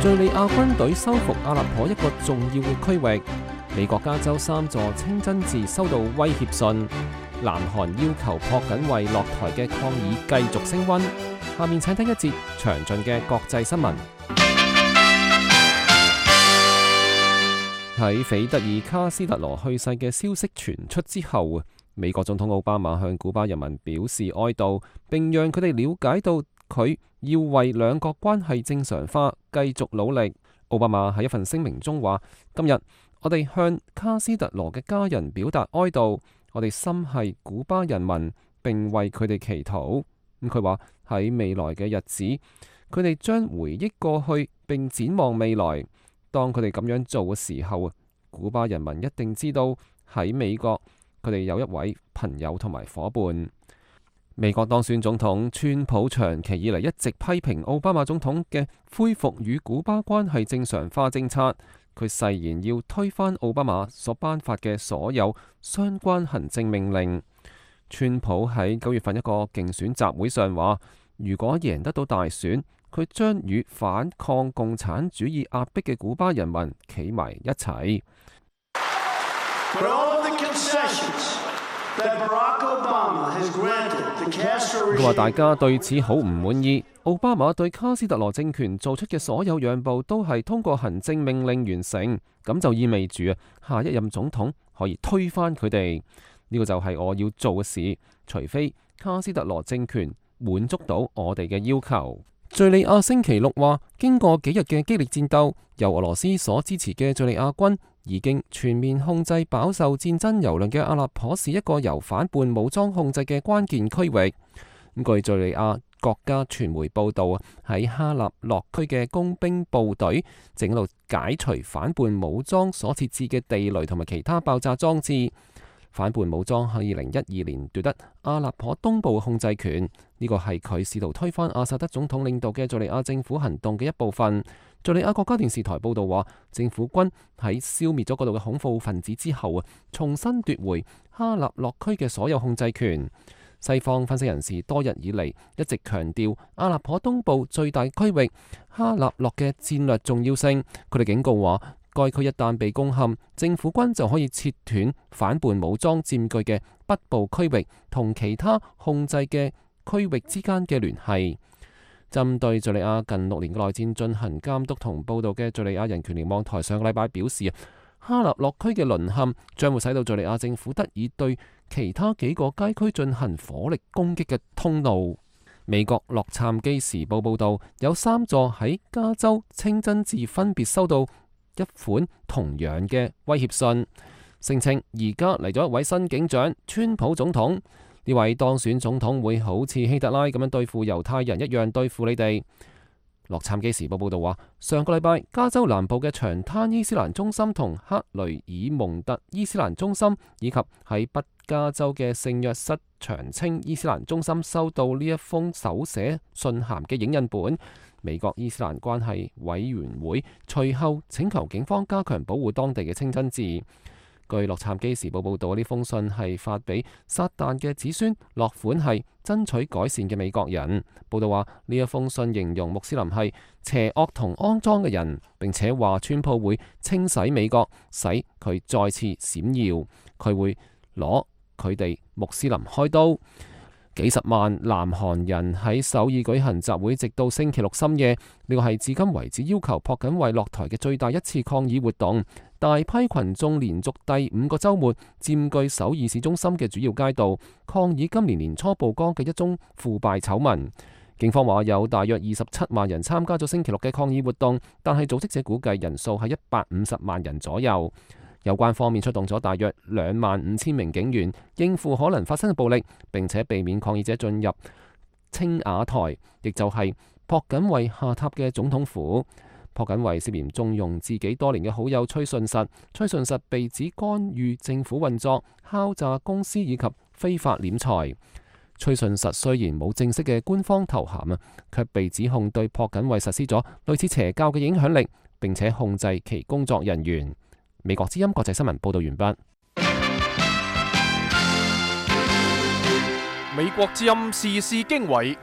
敘利亞軍隊收復阿勒頗一個重要嘅區域。美國加州3座清真寺收到威脅信。南韓要求朴槿惠落台嘅抗議繼續升溫。下面請聽一節詳盡嘅國際新聞。喺斐德爾卡斯特羅去世嘅消息傳出之後，美國總統奧巴馬向古巴人民表示哀悼，並讓佢哋了解到佢要為兩國關係正常化繼續努力。奧巴馬喺一份聲明中話：今日我哋向卡斯特羅嘅家人表達哀悼，我哋心繫古巴人民，並為佢哋祈禱。佢話喺未來嘅日子，佢哋將回憶過去並展望未來。當佢哋咁樣做嘅時候，古巴人民一定知道喺美國佢哋有一位朋友同埋夥伴。美國當選總統川普長期以嚟一直批評奧巴馬總統嘅恢復與古巴關係正常化政策，佢誓言要推翻奧巴馬所頒發嘅所有相關行政命令。川普喺9月份一個競選集會上話，如果贏得到大選，佢將與反抗共產主義壓迫嘅古巴人民企埋一齊。佢話大家對此好唔滿意，奧巴馬對卡斯特羅政權做出嘅所有讓步都係通過行政命令完成，咁就意味住下一任總統可以推翻佢哋。呢個就係我要做嘅事，除非卡斯特羅政權滿足到我哋嘅要求。敘利亞星期六話，經過幾日嘅激烈戰鬥，由俄羅斯所支持嘅敘利亞軍已經全面控制飽受戰爭蹂躪嘅阿勒頗市一個由反叛武裝控制嘅關鍵區域。據敘利亞國家傳媒報道，喺哈納洛區嘅工兵部隊正喺度解除反叛武裝所設置嘅地雷同埋其他爆炸裝置。反叛武裝喺2012年奪得阿勒頗東部控制權，呢個係佢試圖推翻阿薩德總統領導嘅敘利亞政府行動嘅一部分。敘利亞國家電視台報道話，政府軍喺消滅咗嗰度嘅恐怖分子之後重新奪回哈納洛區嘅所有控制權。西方分析人士多日以嚟一直強調阿勒頗東部最大區域哈納洛嘅戰略重要性，佢哋警告話，該區一旦被攻陷，政府軍就可以切斷反叛武裝佔據嘅北部區域同其他控制嘅區域之間嘅聯繫。針對敘利亞近6年嘅內戰進行監督同報導嘅敘利亞人權聯網台上個禮拜表示，哈納洛區嘅淪陷將會使到敘利亞政府得以對其他幾個街區進行火力攻擊嘅通路。美國洛杉磯時報報導，有3座喺加州清真寺分別收到一款同樣嘅威脅信，聲稱而家嚟咗一位新警長，川普總統。呢位當選總統會好似希特拉咁樣對付猶太人一樣對付你哋。洛杉磯時報報道話，上個禮拜加州南部嘅長灘伊斯蘭中心同克雷爾蒙特伊斯蘭中心，以及喺北加州嘅聖約瑟長青伊斯蘭中心收到呢一封手寫信函嘅影印本。美國伊斯蘭關係委員會隨後請求警方加強保護當地嘅清真寺。據洛杉磯時報報導，呢封信係發俾撒旦嘅子孫，落款係爭取改善嘅美國人。報導話呢一封信形容穆斯林係邪惡同骯髒嘅人，並且話川普會清洗美國，使佢再次閃耀，佢會攞佢哋穆斯林開刀。幾十萬南韓人喺首爾舉行集會，直到星期六深夜。呢個係至今為止要求朴槿惠落台嘅最大一次抗議活動。大批群眾連續第5個週末佔據首爾市中心嘅主要街道，抗議今年年初曝光嘅一宗腐敗醜聞。警方話有大約27萬人參加咗星期六嘅抗議活動，但係組織者估計人數係150萬人左右。有關方面出動咗大約25,000名警員，應付可能發生嘅暴力，並且避免抗議者進入青瓦台，亦就係朴槿惠下榻嘅總統府。朴槿惠涉嫌縱容自己多年嘅好友崔順實，崔順實被指干預政府運作、敲詐公司以及非法斂財。崔順實雖然冇正式嘅官方頭銜啊，卻被指控對朴槿惠實施咗類似邪教嘅影響力，並且控制其工作人員。美國之音國際新聞報道完畢。
美國之音時事經緯，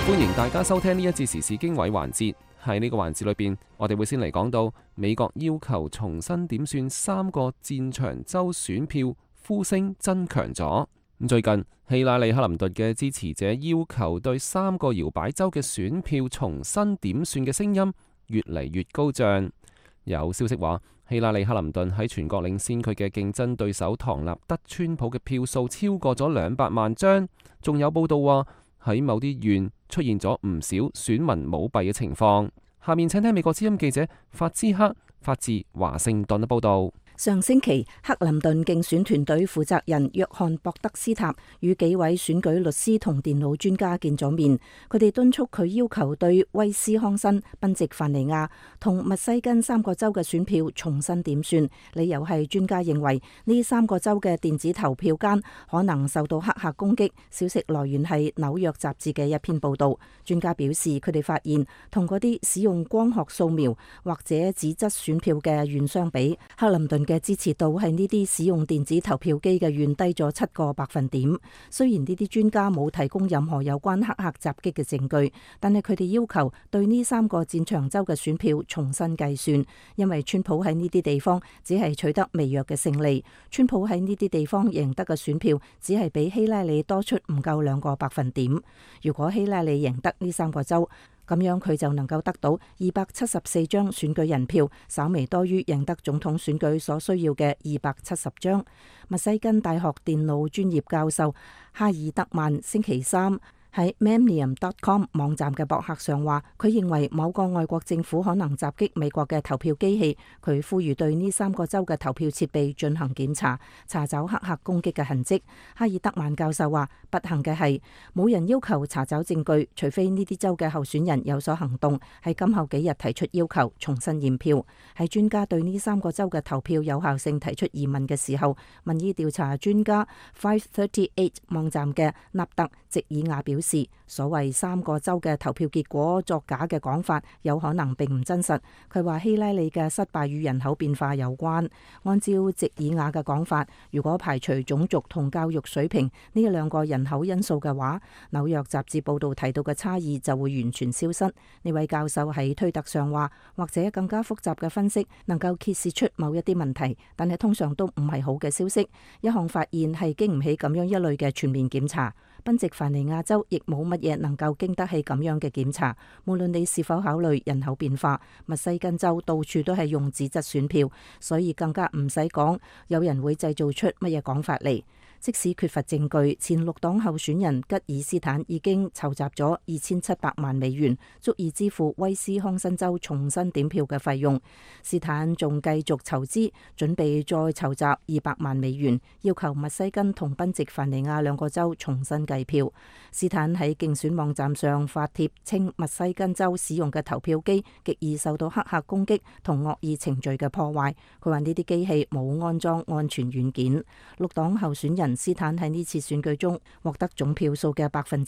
歡迎大家收聽呢一節時事經緯環節。喺呢個環節裏邊，我哋會先嚟講到美國要求重新點算3個戰場州選票，呼聲增強咗。最近希拉里克林頓嘅支持者要求對3個搖擺州嘅選票重新點算嘅聲音越嚟越高漲。有消息話，希拉里克林頓喺全國領先佢嘅競爭對手唐納德川普嘅票數超過咗200萬張。仲有報道話喺某啲縣出現咗唔少選民舞弊嘅情況。下面請聽美國之音記者法茲克發自華盛頓嘅報道。
上星期，克林頓競選團隊負責人約翰博德斯塔與幾位選舉律師同電腦專家見咗面，佢哋敦促佢要求對威斯康辛、賓夕凡尼亞同密西根3個州嘅選票重新點算，理由係專家認為呢3個州嘅電子投票間可能受到黑客攻擊。消息來源係紐約雜誌嘅一篇報道。專家表示，佢哋發現同嗰啲使用光學掃描或者紙質選票嘅縣相比，克林頓嘅支持度係呢啲使用電子投票機嘅縣低咗7個百分點。雖然呢啲專家冇提供任何有關黑客襲擊嘅證據，但係佢哋要求對呢3個戰場州嘅選票重新計算，因為川普喺呢啲地方只係取得微弱嘅勝利。川普喺呢啲地方贏得嘅選票只係比希拉里多出唔夠2個百分點。如果希拉里贏得呢3個州，咁樣佢就能夠得到274張選舉人票，稍微多於贏得總統選舉所需要嘅270張。密西根大學電腦專業教授哈爾德曼星期3喺 Memnium.com 網站嘅博客上話，佢認為某個外國政府可能襲擊美國嘅投票機器。佢呼籲對呢3個州嘅投票設備進行檢查，查找黑客攻擊嘅痕跡。哈爾德曼教授話，不幸嘅係冇人要求查找證據，除非呢啲州嘅候選人有所行動，喺今後幾日提出要求重新驗票。喺專家對呢3個州嘅投票有效性提出疑問嘅時候，民意調查專家538網站嘅納特席爾亞表示，所謂3個州嘅投票結果作假嘅講法有可能並唔真實。佢話希拉里嘅失敗與人口變化有關。按照席爾亞嘅講法，如果排除種族同教育水平呢2個人口因素嘅話，紐約雜誌報道提到嘅差異就會完全消失。呢位教授喺推特上話，或者更加複雜嘅分析能夠揭示出某一啲問題，但係通常都唔係好嘅消息。一項發現係經唔起咁樣一類嘅全面檢查。賓夕凡尼亞州亦冇乜嘢能夠經得起咁樣嘅檢查，無論你是否考慮人口變化。密西根州到處都係用紙質選票，所以更加唔使講有人會製造出乜嘢講法嚟。即使缺乏證據，前綠黨候選人吉爾斯坦已經籌集咗2700萬美元，足以支付威斯康辛州重新點票嘅費用。斯坦仲繼續籌資，準備再籌集200萬美元，要求密西根同賓夕凡尼亞2個州重新計票。斯坦喺競選網站上發帖稱，密西根州使用嘅投票機極易受到黑客攻擊同惡意程序嘅破壞。佢話呢啲機器冇安裝安全軟件。綠黨候選人人斯坦喺呢次選舉中獲得總票數嘅1%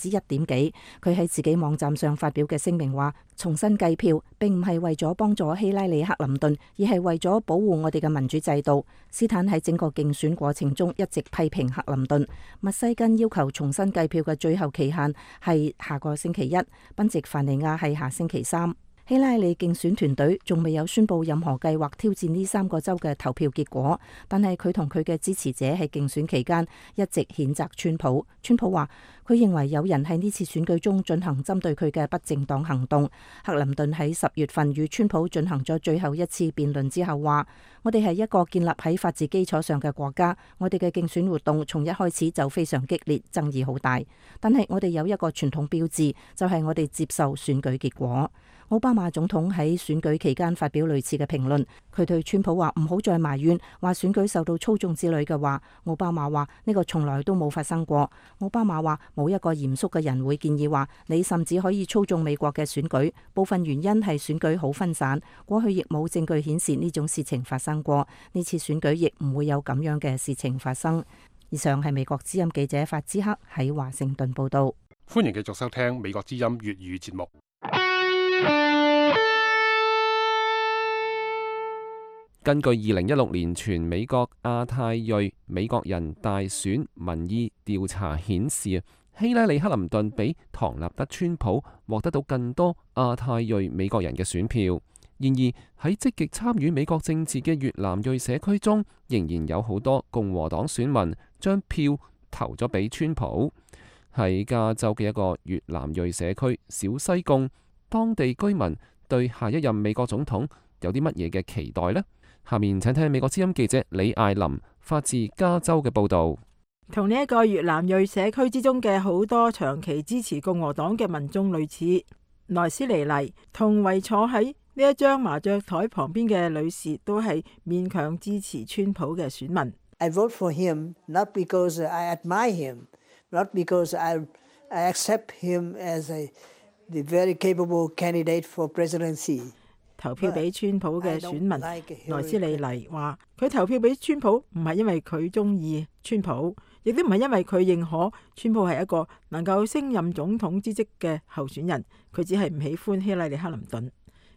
幾。佢喺自己網站上發表嘅聲明話，重新計票並唔係為咗幫助希拉里克林頓，而係為咗保護我哋嘅民主制度。斯坦喺整個競選過程中一直批評克林頓。密西根要求重新計票嘅最後期限係下個星期一，賓夕凡尼亞係下星期3。希拉里競選團隊仲未有宣布任何計劃挑戰呢3個州嘅投票結果，但係佢同佢嘅支持者喺競選期間一直譴責川普。川普話佢認為有人喺呢次選舉中進行針對佢嘅不正當行動。克林頓喺10月份與川普進行咗最後一次辯論之後話：我哋係一個建立喺法治基礎上嘅國家，我哋嘅競選活動從一開始就非常激烈，爭議好大。但係我哋有一個傳統標誌，就係我哋接受選舉結果。奧巴馬總統喺選舉期間發表類似嘅評論，佢對川普話唔好再埋怨話選舉受到操縱之類嘅話。奧巴馬話呢個從來都冇發生過。奧巴馬話冇一個嚴肅嘅人會建議話你甚至可以操縱美國嘅選舉，部分原因係選舉好分散，過去亦冇證據顯示呢種事情發生過，呢次選舉亦唔會有咁樣嘅事情發生。以上係美國之音記者法茲克喺華盛頓報道。
歡迎繼續收聽美國之音粵語節目。
根據2016年全美國亞太裔美國人大選民意調查顯示，希拉里克林頓比唐納德川普獲得到更多亞太裔美國人嘅選票。然而喺積極參與美國政治嘅越南裔社區中，仍然有好多共和黨選民將票投咗俾川普。喺加州嘅一個越南裔社區小西貢，當地居民對下一任美國總統有啲乜嘢嘅期待呢？下面請聽美國之音記者李艾琳發自加州嘅報道。
同呢一個越南裔社區之中嘅好多長期支持共和黨嘅民眾類似，萊斯尼黎同圍坐喺呢一張麻雀台旁邊嘅女士都係勉強支持川普嘅選民。
I vote for him not because I admire him, not because I accept him as the very capable candidate for presidency。
投票俾川普嘅選民萊斯利黎話：佢投票俾川普唔係因為佢中意川普，亦都唔係因為佢認可川普係一個能夠升任總統之職嘅候選人，佢只係唔喜歡希拉里克林頓。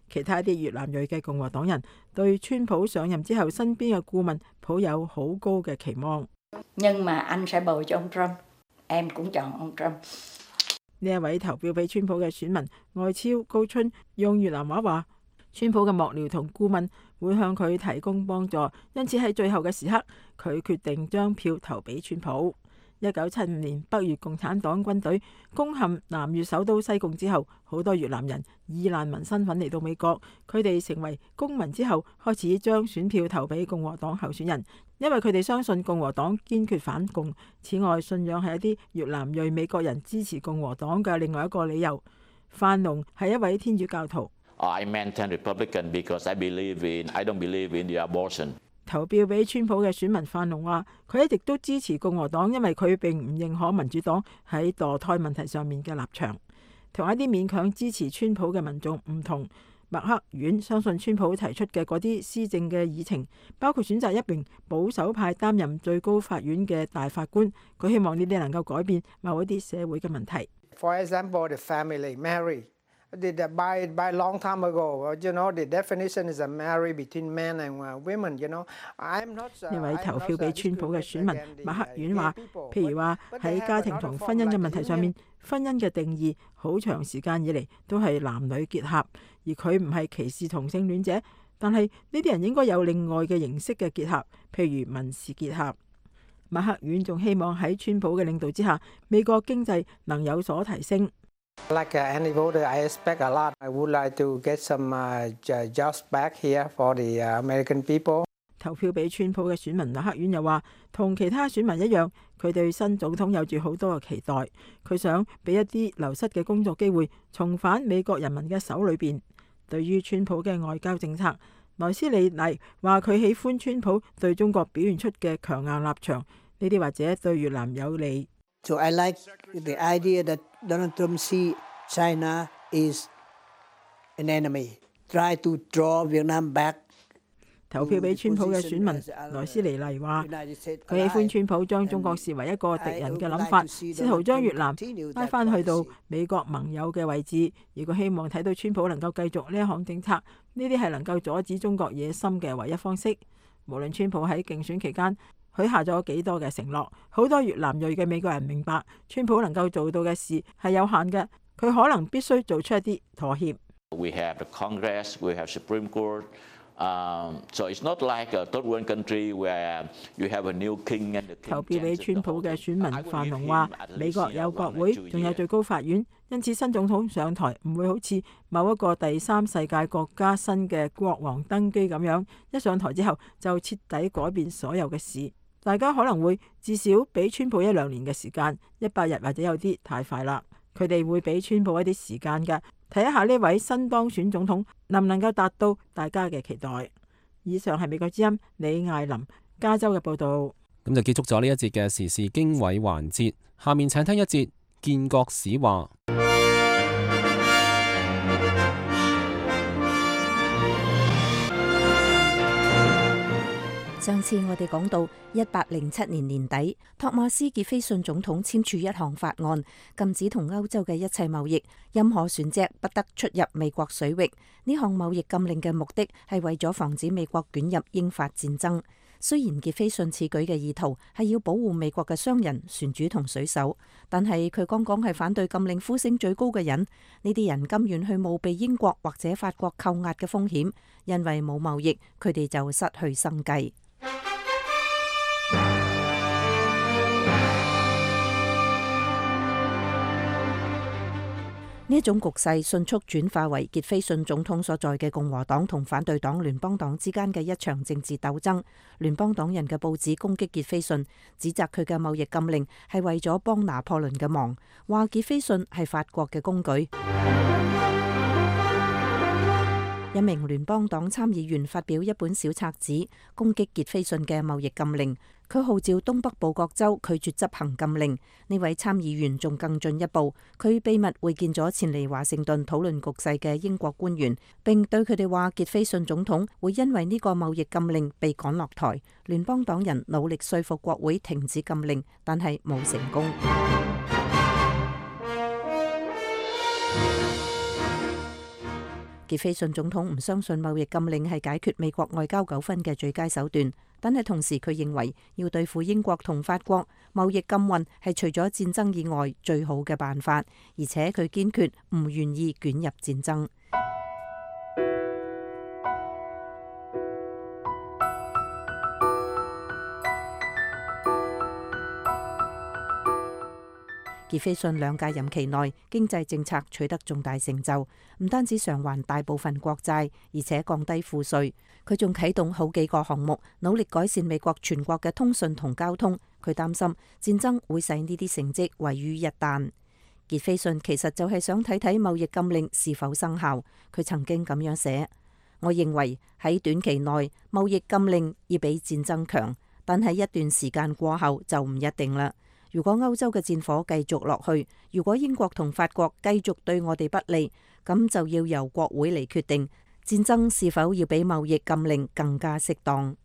其他啲越南裔嘅共和黨人對川普上任之後身邊嘅顧問抱有好高嘅期望。
Nhưng mà anh sẽ bầu cho ông Trump, em cũng chọn ông Trump。
呢一位投票俾川普嘅選民外超高春用越南話話：川普嘅幕僚同顧問會向佢提供幫助，因此喺最後嘅時刻，佢決定將票投俾川普。1975年北越共產黨軍隊攻陷南越首都西貢之後，好多越南人以難民身份嚟到美國，佢哋成為公民之後，開始將選票投俾共和黨候選人，因為佢哋相信共和黨堅決反共。此外，信仰係一啲越南裔美國人支持共和黨嘅另外一個理由。范龍係一位天主教徒。
I maintain Republican because I don't believe in the abortion。
投票俾川普嘅選民范龍話：佢一直都支持共和黨，因為佢並唔認可民主黨喺墮胎問題上面嘅立場。同一啲勉強支持川普嘅民眾唔同，麥克遠相信川普提出嘅嗰啲施政嘅議程，包括選擇一名保守派擔任最高法院嘅大法官。佢希望呢啲能夠改變某一啲社會嘅問題。
For example, the family marry.By long time ago, the definition is a marriage between men and women. I'm not.
呢位投票俾川普嘅選民馬克遠話，譬如話喺家庭同婚姻嘅問題上面，婚姻嘅定義好長時間以嚟都係男女結合，而佢唔係歧視同性戀者，但係呢啲人應該有另外嘅形式嘅結合，譬如民事結合。馬克遠仲希望喺川普嘅領導之下，美國經濟能有所提升。
Like any voter, I expect a lot. I would like to get some jobs back here for the American people.
投票俾川普嘅選民麥克遠又話，同其他選民一樣，佢對新總統有住好多嘅期待。佢想俾一啲流失嘅工作機會重返美國人民嘅手裏邊。對於川普嘅外交政策，萊斯利黎話佢喜歡川普對中國表現出嘅強硬立場，呢啲或者對越南有利。
So I like the idea that Donald Trump see China is an enemy. Try to draw Vietnam back.
投票俾川普嘅選民萊斯尼尼話，佢喜歡川普將中國視為一個敵人嘅諗法，試圖將越南拉翻去到美國盟友嘅位置，而佢希望睇到川普能夠繼續呢一項政策，呢啲係能夠阻止中國野心嘅唯一方式。無論川普喺競選期間許下咗幾多嘅承諾，好多越南裔嘅美國人明白，川普能夠做到嘅事係有限嘅，佢可能必須做出一啲妥協。
We have the Congress, we have Supreme Court. So it's not like a third world country where you have a new king and the king.
投票俾川普嘅選民范龍話：美國有國會，仲有最高法院，因此新總統上台唔會好似某一個第三世界國家新嘅國王登基咁樣，一上台之後就徹底改變所有嘅事。大家可能會至少俾川普1-2年嘅時間，100日或者有啲太快啦。佢哋會俾川普一啲時間嘅。睇一下呢位新當選總統能唔能夠達到大家嘅期待。以上係美國之音李艾琳加州嘅報導。
咁就結束咗呢一節嘅時事經緯環節，下面請聽一節建國史話。
上次我哋講到1807年年底，托馬斯傑菲遜總統簽署一項法案，禁止同歐洲嘅一切貿易，任何船隻不得出入美國水域。呢項貿易禁令嘅目的係為咗防止美國捲入英法戰爭。雖然傑菲遜此舉嘅意圖係要保護美國嘅商人、船主同水手，但係佢剛剛係反對禁令呼聲最高嘅人。呢啲人甘願去冒被英國或者法國扣押嘅風險，因為冇貿易，佢哋就失去生計。呢一種局勢迅速轉化為傑菲遜總統所在嘅共和黨同反對黨聯邦黨之間嘅一場政治鬥爭。聯邦黨人嘅報紙攻擊傑菲遜，指責佢嘅貿易禁令係為咗幫拿破崙嘅忙，話傑菲遜係法國嘅工具。一名聯邦黨參議員發表一本小冊子攻擊傑菲遜嘅貿易禁令，佢號召東北部各州拒絕執行禁令。呢位參議員仲更進一步，佢秘密會見咗前嚟華盛頓討論局勢嘅英國官員，並對佢哋話傑菲遜總統會因為呢個貿易禁令被趕落台。聯邦黨人努力說服國會停止禁令，但係冇成功。傑菲遜總統唔相信貿易禁令係解決美國外交糾紛嘅最佳手段，但係同時佢認為要對付英國同法國，貿易禁運係除咗戰爭以外最好嘅辦法，而且佢堅決唔願意捲入戰爭。傑菲遜兩屆任期內，經濟政策取得重大成就，唔單止償還大部分國債，而且降低賦稅。佢仲啟動好幾個項目，努力改善美國全國嘅通訊同交通。佢擔心戰爭會使呢啲成績毀於一旦。傑菲遜其實就係想睇睇貿易禁令是否生效。佢曾經咁樣寫：我認為喺短期內貿易禁令要比戰爭強，但係一段時間過後就唔一定啦。如果歐洲嘅戰火繼續落去，如果英國同法國繼續對我哋不利，咁就要由國會嚟決定戰爭是否要比貿易禁令更加適當。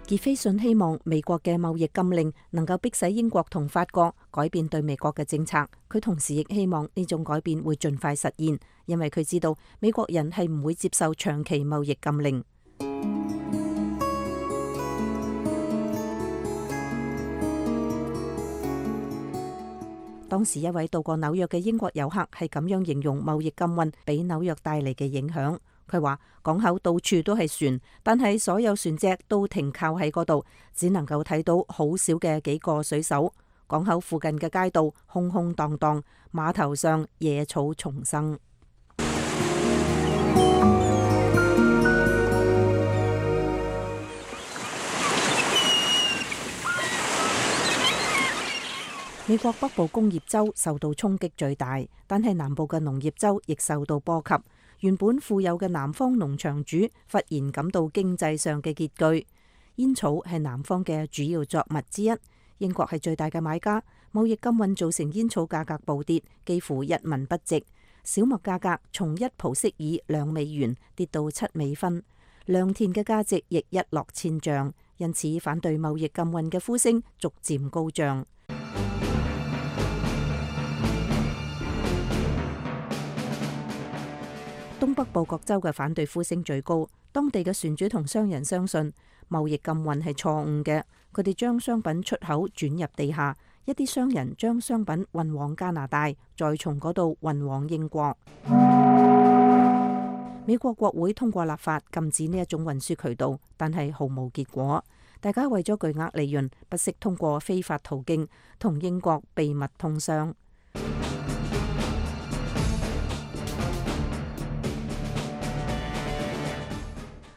傑菲遜希望美國嘅貿易禁令能夠迫使英國同法國改變對美國嘅政策。佢同時亦希望呢種改變會盡快實現，因為佢知道美國人係唔會接受長期貿易禁令。當時一位到過紐約嘅英國遊客係咁樣形容貿易禁運俾紐約帶嚟嘅影響。佢話港口到處都係船，但係所有船隻都停靠喺嗰度，只能夠睇到好少嘅幾個水手。港口附近嘅街道空空蕩蕩，碼頭上野草叢生。美國北部工業州受到衝擊最大，但係南部嘅農業州亦受到波及。原本富有嘅南方農場主忽然感到經濟上嘅拮據。煙草係南方嘅主要作物之一，英國係最大嘅買家。貿易禁運造成煙草價格暴跌，幾乎一文不值。小麥價格從1蒲息爾2美元跌到7美分，良田嘅價值亦一落千丈，因此反對貿易禁運嘅呼聲逐漸高漲。東北部各州嘅反對呼聲最高，當地嘅船主同商人相信貿易禁運係錯誤嘅，佢哋將商品出口轉入地下，一啲商人將商品運往加拿大，再從嗰度運往英國。美國國會通過立法禁止呢一種運輸渠道，但係毫無結果。大家為咗巨額利潤，不惜通過非法途徑同英國秘密通商。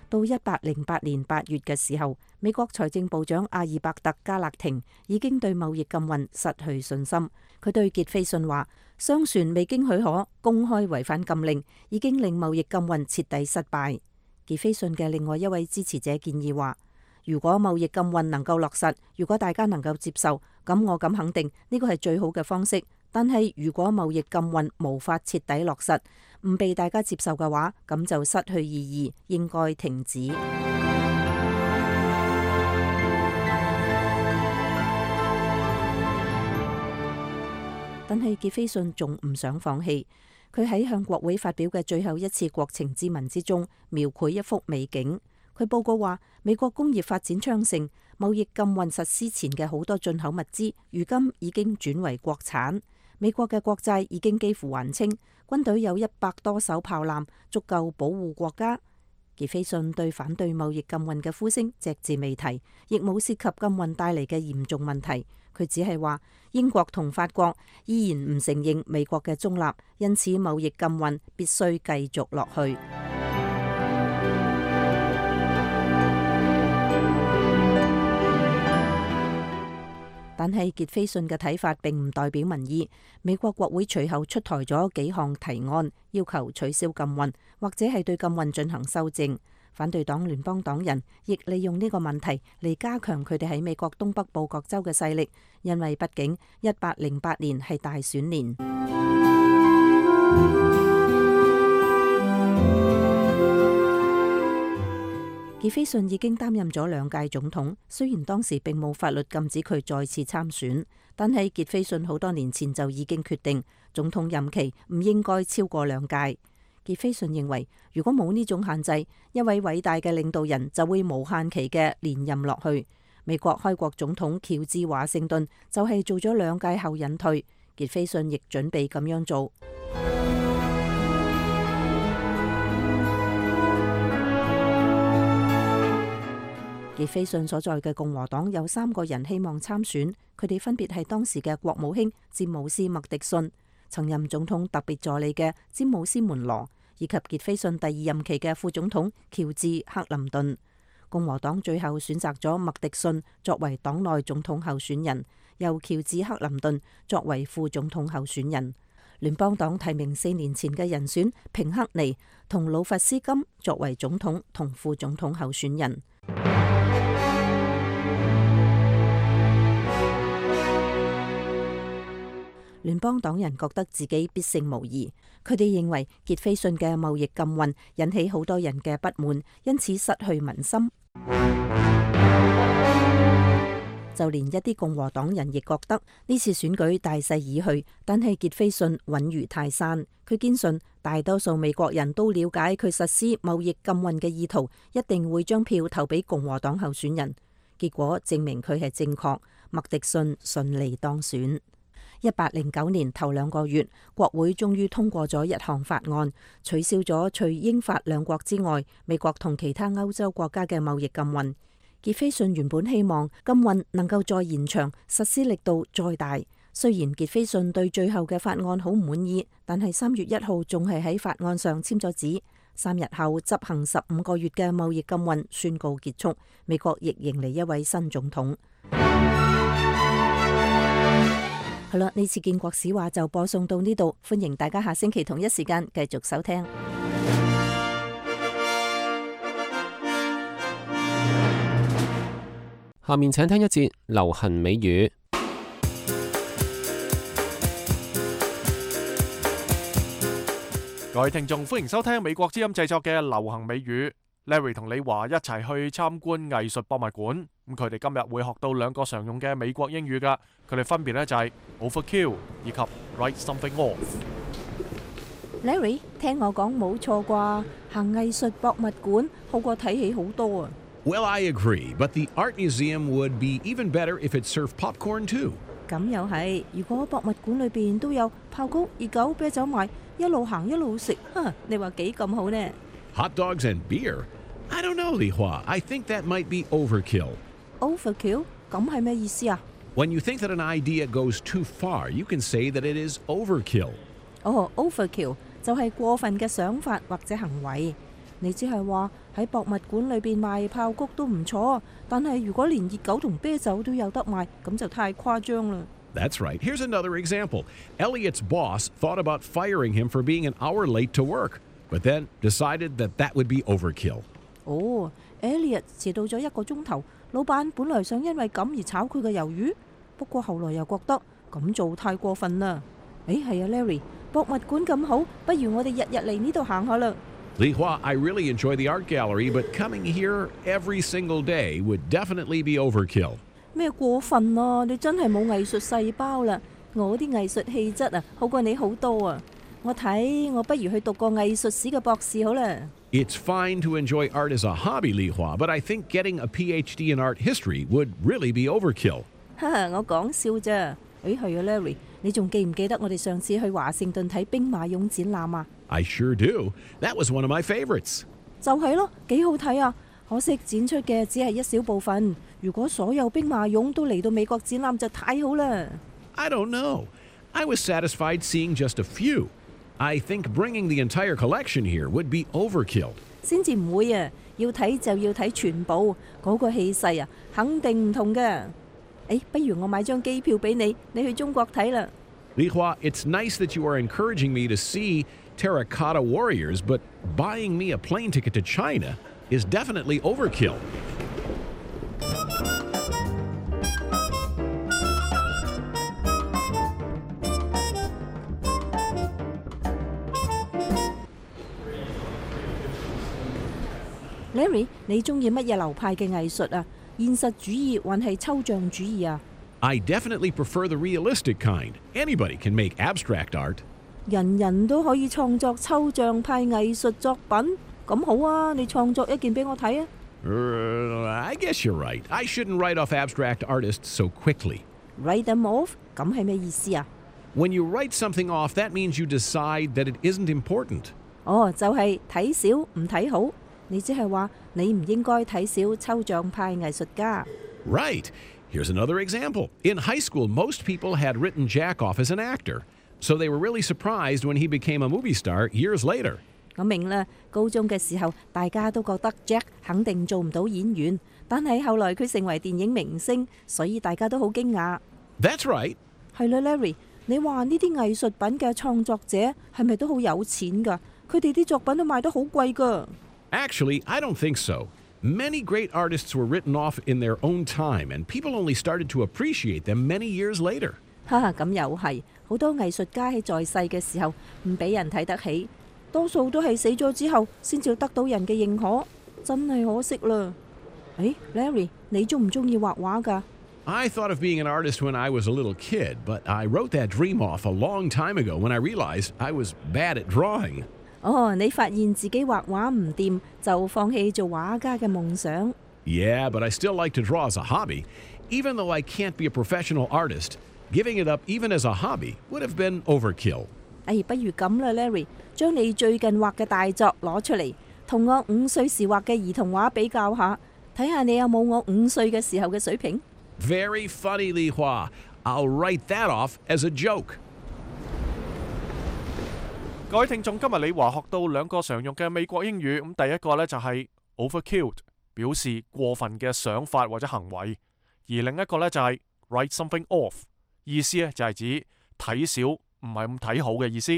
到1808年8月嘅時候，美國財政部長阿爾伯特加勒廷已經對貿易禁運失去信心。佢對傑斐遜話：商船未經許可公開違反禁令，已經令貿易禁運徹底失敗。傑斐遜嘅另外一位支持者建議話：如果貿易禁運能夠落實，如果大家能夠接受，咁我敢肯定呢個係最好嘅方式。但係如果貿易禁運無法徹底落實，唔被大家接受嘅話，咁就失去意義，應該停止。但係傑斐遜仲唔想放棄，佢喺向國會發表嘅最後一次國情咨文之中，描繪一幅美景。佢報告話，美國工業發展昌盛，貿易禁運實施前嘅好多進口物資，如今已經轉為國產。美國嘅國債已經幾乎還清，軍隊有100多艘炮艦，足夠保護國家。傑斐遜對反對貿易禁運嘅呼聲隻字未提，亦冇涉及禁運帶嚟嘅嚴重問題。佢只係話英國同法國依然唔承認美國嘅中立，因此貿易禁運必須繼續落去。但係傑斐遜嘅睇法並唔代表民意。美國國會隨後出台咗幾項提案，要求取消禁運，或者係對禁運進行修正。反對黨聯邦黨人亦利用呢個問題嚟加強佢哋喺美國東北部各州嘅勢力，因為畢竟1808年係大選年。傑斐遜已經擔任咗2屆總統，雖然當時並冇法律禁止佢再次參選，但係傑斐遜好多年前就已經決定總統任期唔應該超過2屆。傑斐遜認為，如果冇呢種限制，一位偉大嘅領導人就會無限期嘅連任落去。美國開國總統喬治華盛頓就係做咗2屆後隱退，傑斐遜亦準備咁樣做。傑斐遜所在嘅共和黨有3個人希望參選，佢哋分別係當時嘅國務卿詹姆斯麥迪遜、曾任總統特別助理嘅詹姆斯門羅，以及傑斐遜第2任期嘅副總統喬治克林頓。共和黨最後選擇咗麥迪遜作為黨內總統候選人，由喬治克林頓作為副總統候選人。聯邦黨提名4年前嘅人選平克尼同魯弗斯金作為總統同副總統候選人。聯邦黨人覺得自己必勝無疑，佢哋認為傑斐遜嘅貿易禁運引起好多人嘅不滿，因此失去民心。就連一啲共和黨人亦覺得呢次選舉大勢已去，但係傑斐遜穩如泰山。佢堅信大多數美國人都了解佢實施貿易禁運嘅意圖，一定會將票投俾共和黨候選人。結果證明佢係正確，麥迪遜順利當選。1809年頭2個月，國會終於通過咗一項法案，取消咗除英法2國之外，美國同其他歐洲國家嘅貿易禁運。傑斐遜原本希望禁運能夠再延長，實施力度再大。雖然傑斐遜對最後嘅法案好唔滿意，但係3月1號仲係喺法案上簽咗字。3日後執行15個月嘅貿易禁運宣告結束，美國亦迎嚟一位新總統。好啦，呢次建國史話就播送到呢度，歡迎大家下星期同一時間繼續收聽。
下面請聽一節流行美語。
各位聽眾，歡迎收聽美國之音製作嘅流行美語。Larry 同李華一齊去參觀藝術博物館。咁佢哋今日會學到兩個常用嘅美國英語㗎。佢哋分別呢就係 overkill 以及 write something off。Larry，
聽我講冇錯啩？行藝術博物館好過睇戲好多啊。
Well, I agree, but the art museum would be even better if it served popcorn too.
咁又係，如果博物館裏邊都有爆谷、熱狗、啤酒賣，一路行一路食，你話幾咁好呢？
Hot dogs and beer? I don't know, Li Hua. I think that might be overkill.
Overkill? 咁係咩意思啊？
When you think that an idea goes too far, you can say that it is overkill.
Overkill 就係過分嘅想法或者行為。你只係話喺博物館裏邊賣爆谷都唔錯，但係如果連熱狗同啤酒都有得賣，咁就太誇張啦。
That's right. Here's another example. Elliot's boss thought about firing him for being an hour late to work, but then decided that that would be overkill.
Elliot 遲到咗1個鐘頭，老闆本來想因為咁而炒佢嘅魷魚，不過後來又覺得咁做太過分啦。係啊 ，Larry， 博物館咁好，不如我哋日日嚟呢度行下啦。
Li Hua, I really enjoy the art gallery, but coming here every single day would definitely be overkill.
咩過分啊？你真係冇藝術細胞啦！我啲藝術氣質啊，好過你好多啊！我睇我不如去讀個藝術史嘅博士好啦。
It's fine to enjoy art as a hobby, Li Hua, but I think getting a PhD in art history would really be overkill.
我講笑啫。係啊 ，Larry， 你仲記唔記得我哋上次去華盛頓睇兵馬俑展覽啊？
I sure do. That was one of my favorites.
就係咯，幾好睇啊！可惜展出嘅只係一小部分。如果所有兵馬俑都嚟到美國展覽就太好啦。
I don't know. I was satisfied seeing just a few. I think bringing the entire collection here would be overkill.
先至唔會啊！要睇就要睇全部，嗰個氣勢啊，肯定唔同嘅。不如我買張機票俾你，你去中國睇啦。
Li Hua, it's nice that you are encouraging me to see terracotta warriors, but buying me a plane ticket to China is definitely overkill.
Larry， 你中意乜嘢流派嘅藝術啊？現實主義還係抽象主義啊？
I definitely prefer the realistic kind. Anybody can make abstract art.
人人都可以創作抽象派藝術作品，咁好啊！你創作一件俾我睇啊！
I guess you're right. I shouldn't write off abstract artists so quickly.
Write them off？ 咁係咩意思啊？
When you write something off, that means you decide that it isn't important.
就係睇少唔睇好。你即係話你唔應該睇少抽象派藝術家。
Right. Here's another example. In high school, most people had written Jack off as an actor, so they were really surprised when he became a movie star years later.
我明啦，高中嘅時候大家都覺得 Jack 肯定做唔到演員，但係後來佢成為電影明星，所以大家都好驚訝。
That's right.
係啦 ，Larry， 你話呢啲藝術品嘅創作者係咪都好有錢㗎？佢哋啲作品都賣得好貴㗎。
Actually, I don't think so. Many great artists were written off in their own time, and people only started to appreciate them many years later.
咁又係，好多藝術家喺在世嘅時候唔俾人睇得起，多數都係死咗之後先至得到人嘅認可，真係可惜啦。Larry， 你中唔中意畫畫㗎？
I thought of being an artist when I was a little kid, but I wrote that dream off a long time ago when I realized I was bad at drawing.
你發現自己畫畫唔掂，就放棄做畫家嘅夢想。
Yeah, but I still like to draw as a hobby. Even though I can't be a professional artist, giving it up even as a hobby would have been overkill.
不如咁啦 ，Larry， 將你最近畫嘅大作攞出嚟，同我5歲時畫嘅兒童畫比較下，睇下你有冇我5歲嘅時候嘅水平。
Very funny, Li Hua. I'll write that off as a joke.
各位聽眾，今日李華學到兩個常用嘅美國英語。咁第一個呢就係 overkill， 表示過分嘅想法或者行為；而另一個呢就係 write something off， 意思呢就係指睇少唔係咁睇好嘅意思。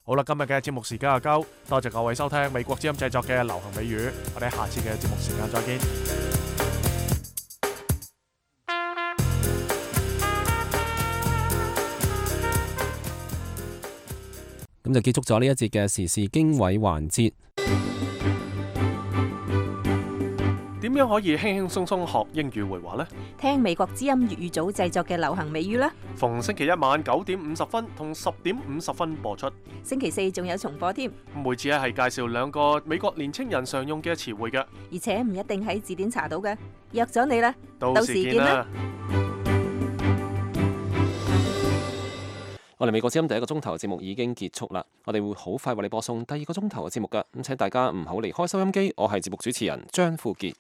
好啦，今日嘅節目時間就夠，多謝各位收聽美國之音製作嘅流行美語，我哋下次嘅節目時間再見。
咁就結束咗呢一節嘅時事經緯環節。
點樣可以輕輕鬆鬆學英語會話呢？
聽美國之音粵語組製作嘅流行美語啦。
逢星期一晚9:50同10:50播出。
星期四仲有重播添。
每次係介紹2個美國年青人常用嘅詞彙嘅，
而且唔一定喺字典查到嘅。約咗你啦，
到時見啦。
我哋美國之音第1個鐘頭嘅節目已經結束啦，我哋會好快為你播送第2個鐘頭嘅節目㗎，咁請大家唔好離開收音機。我係節目主持人張富傑。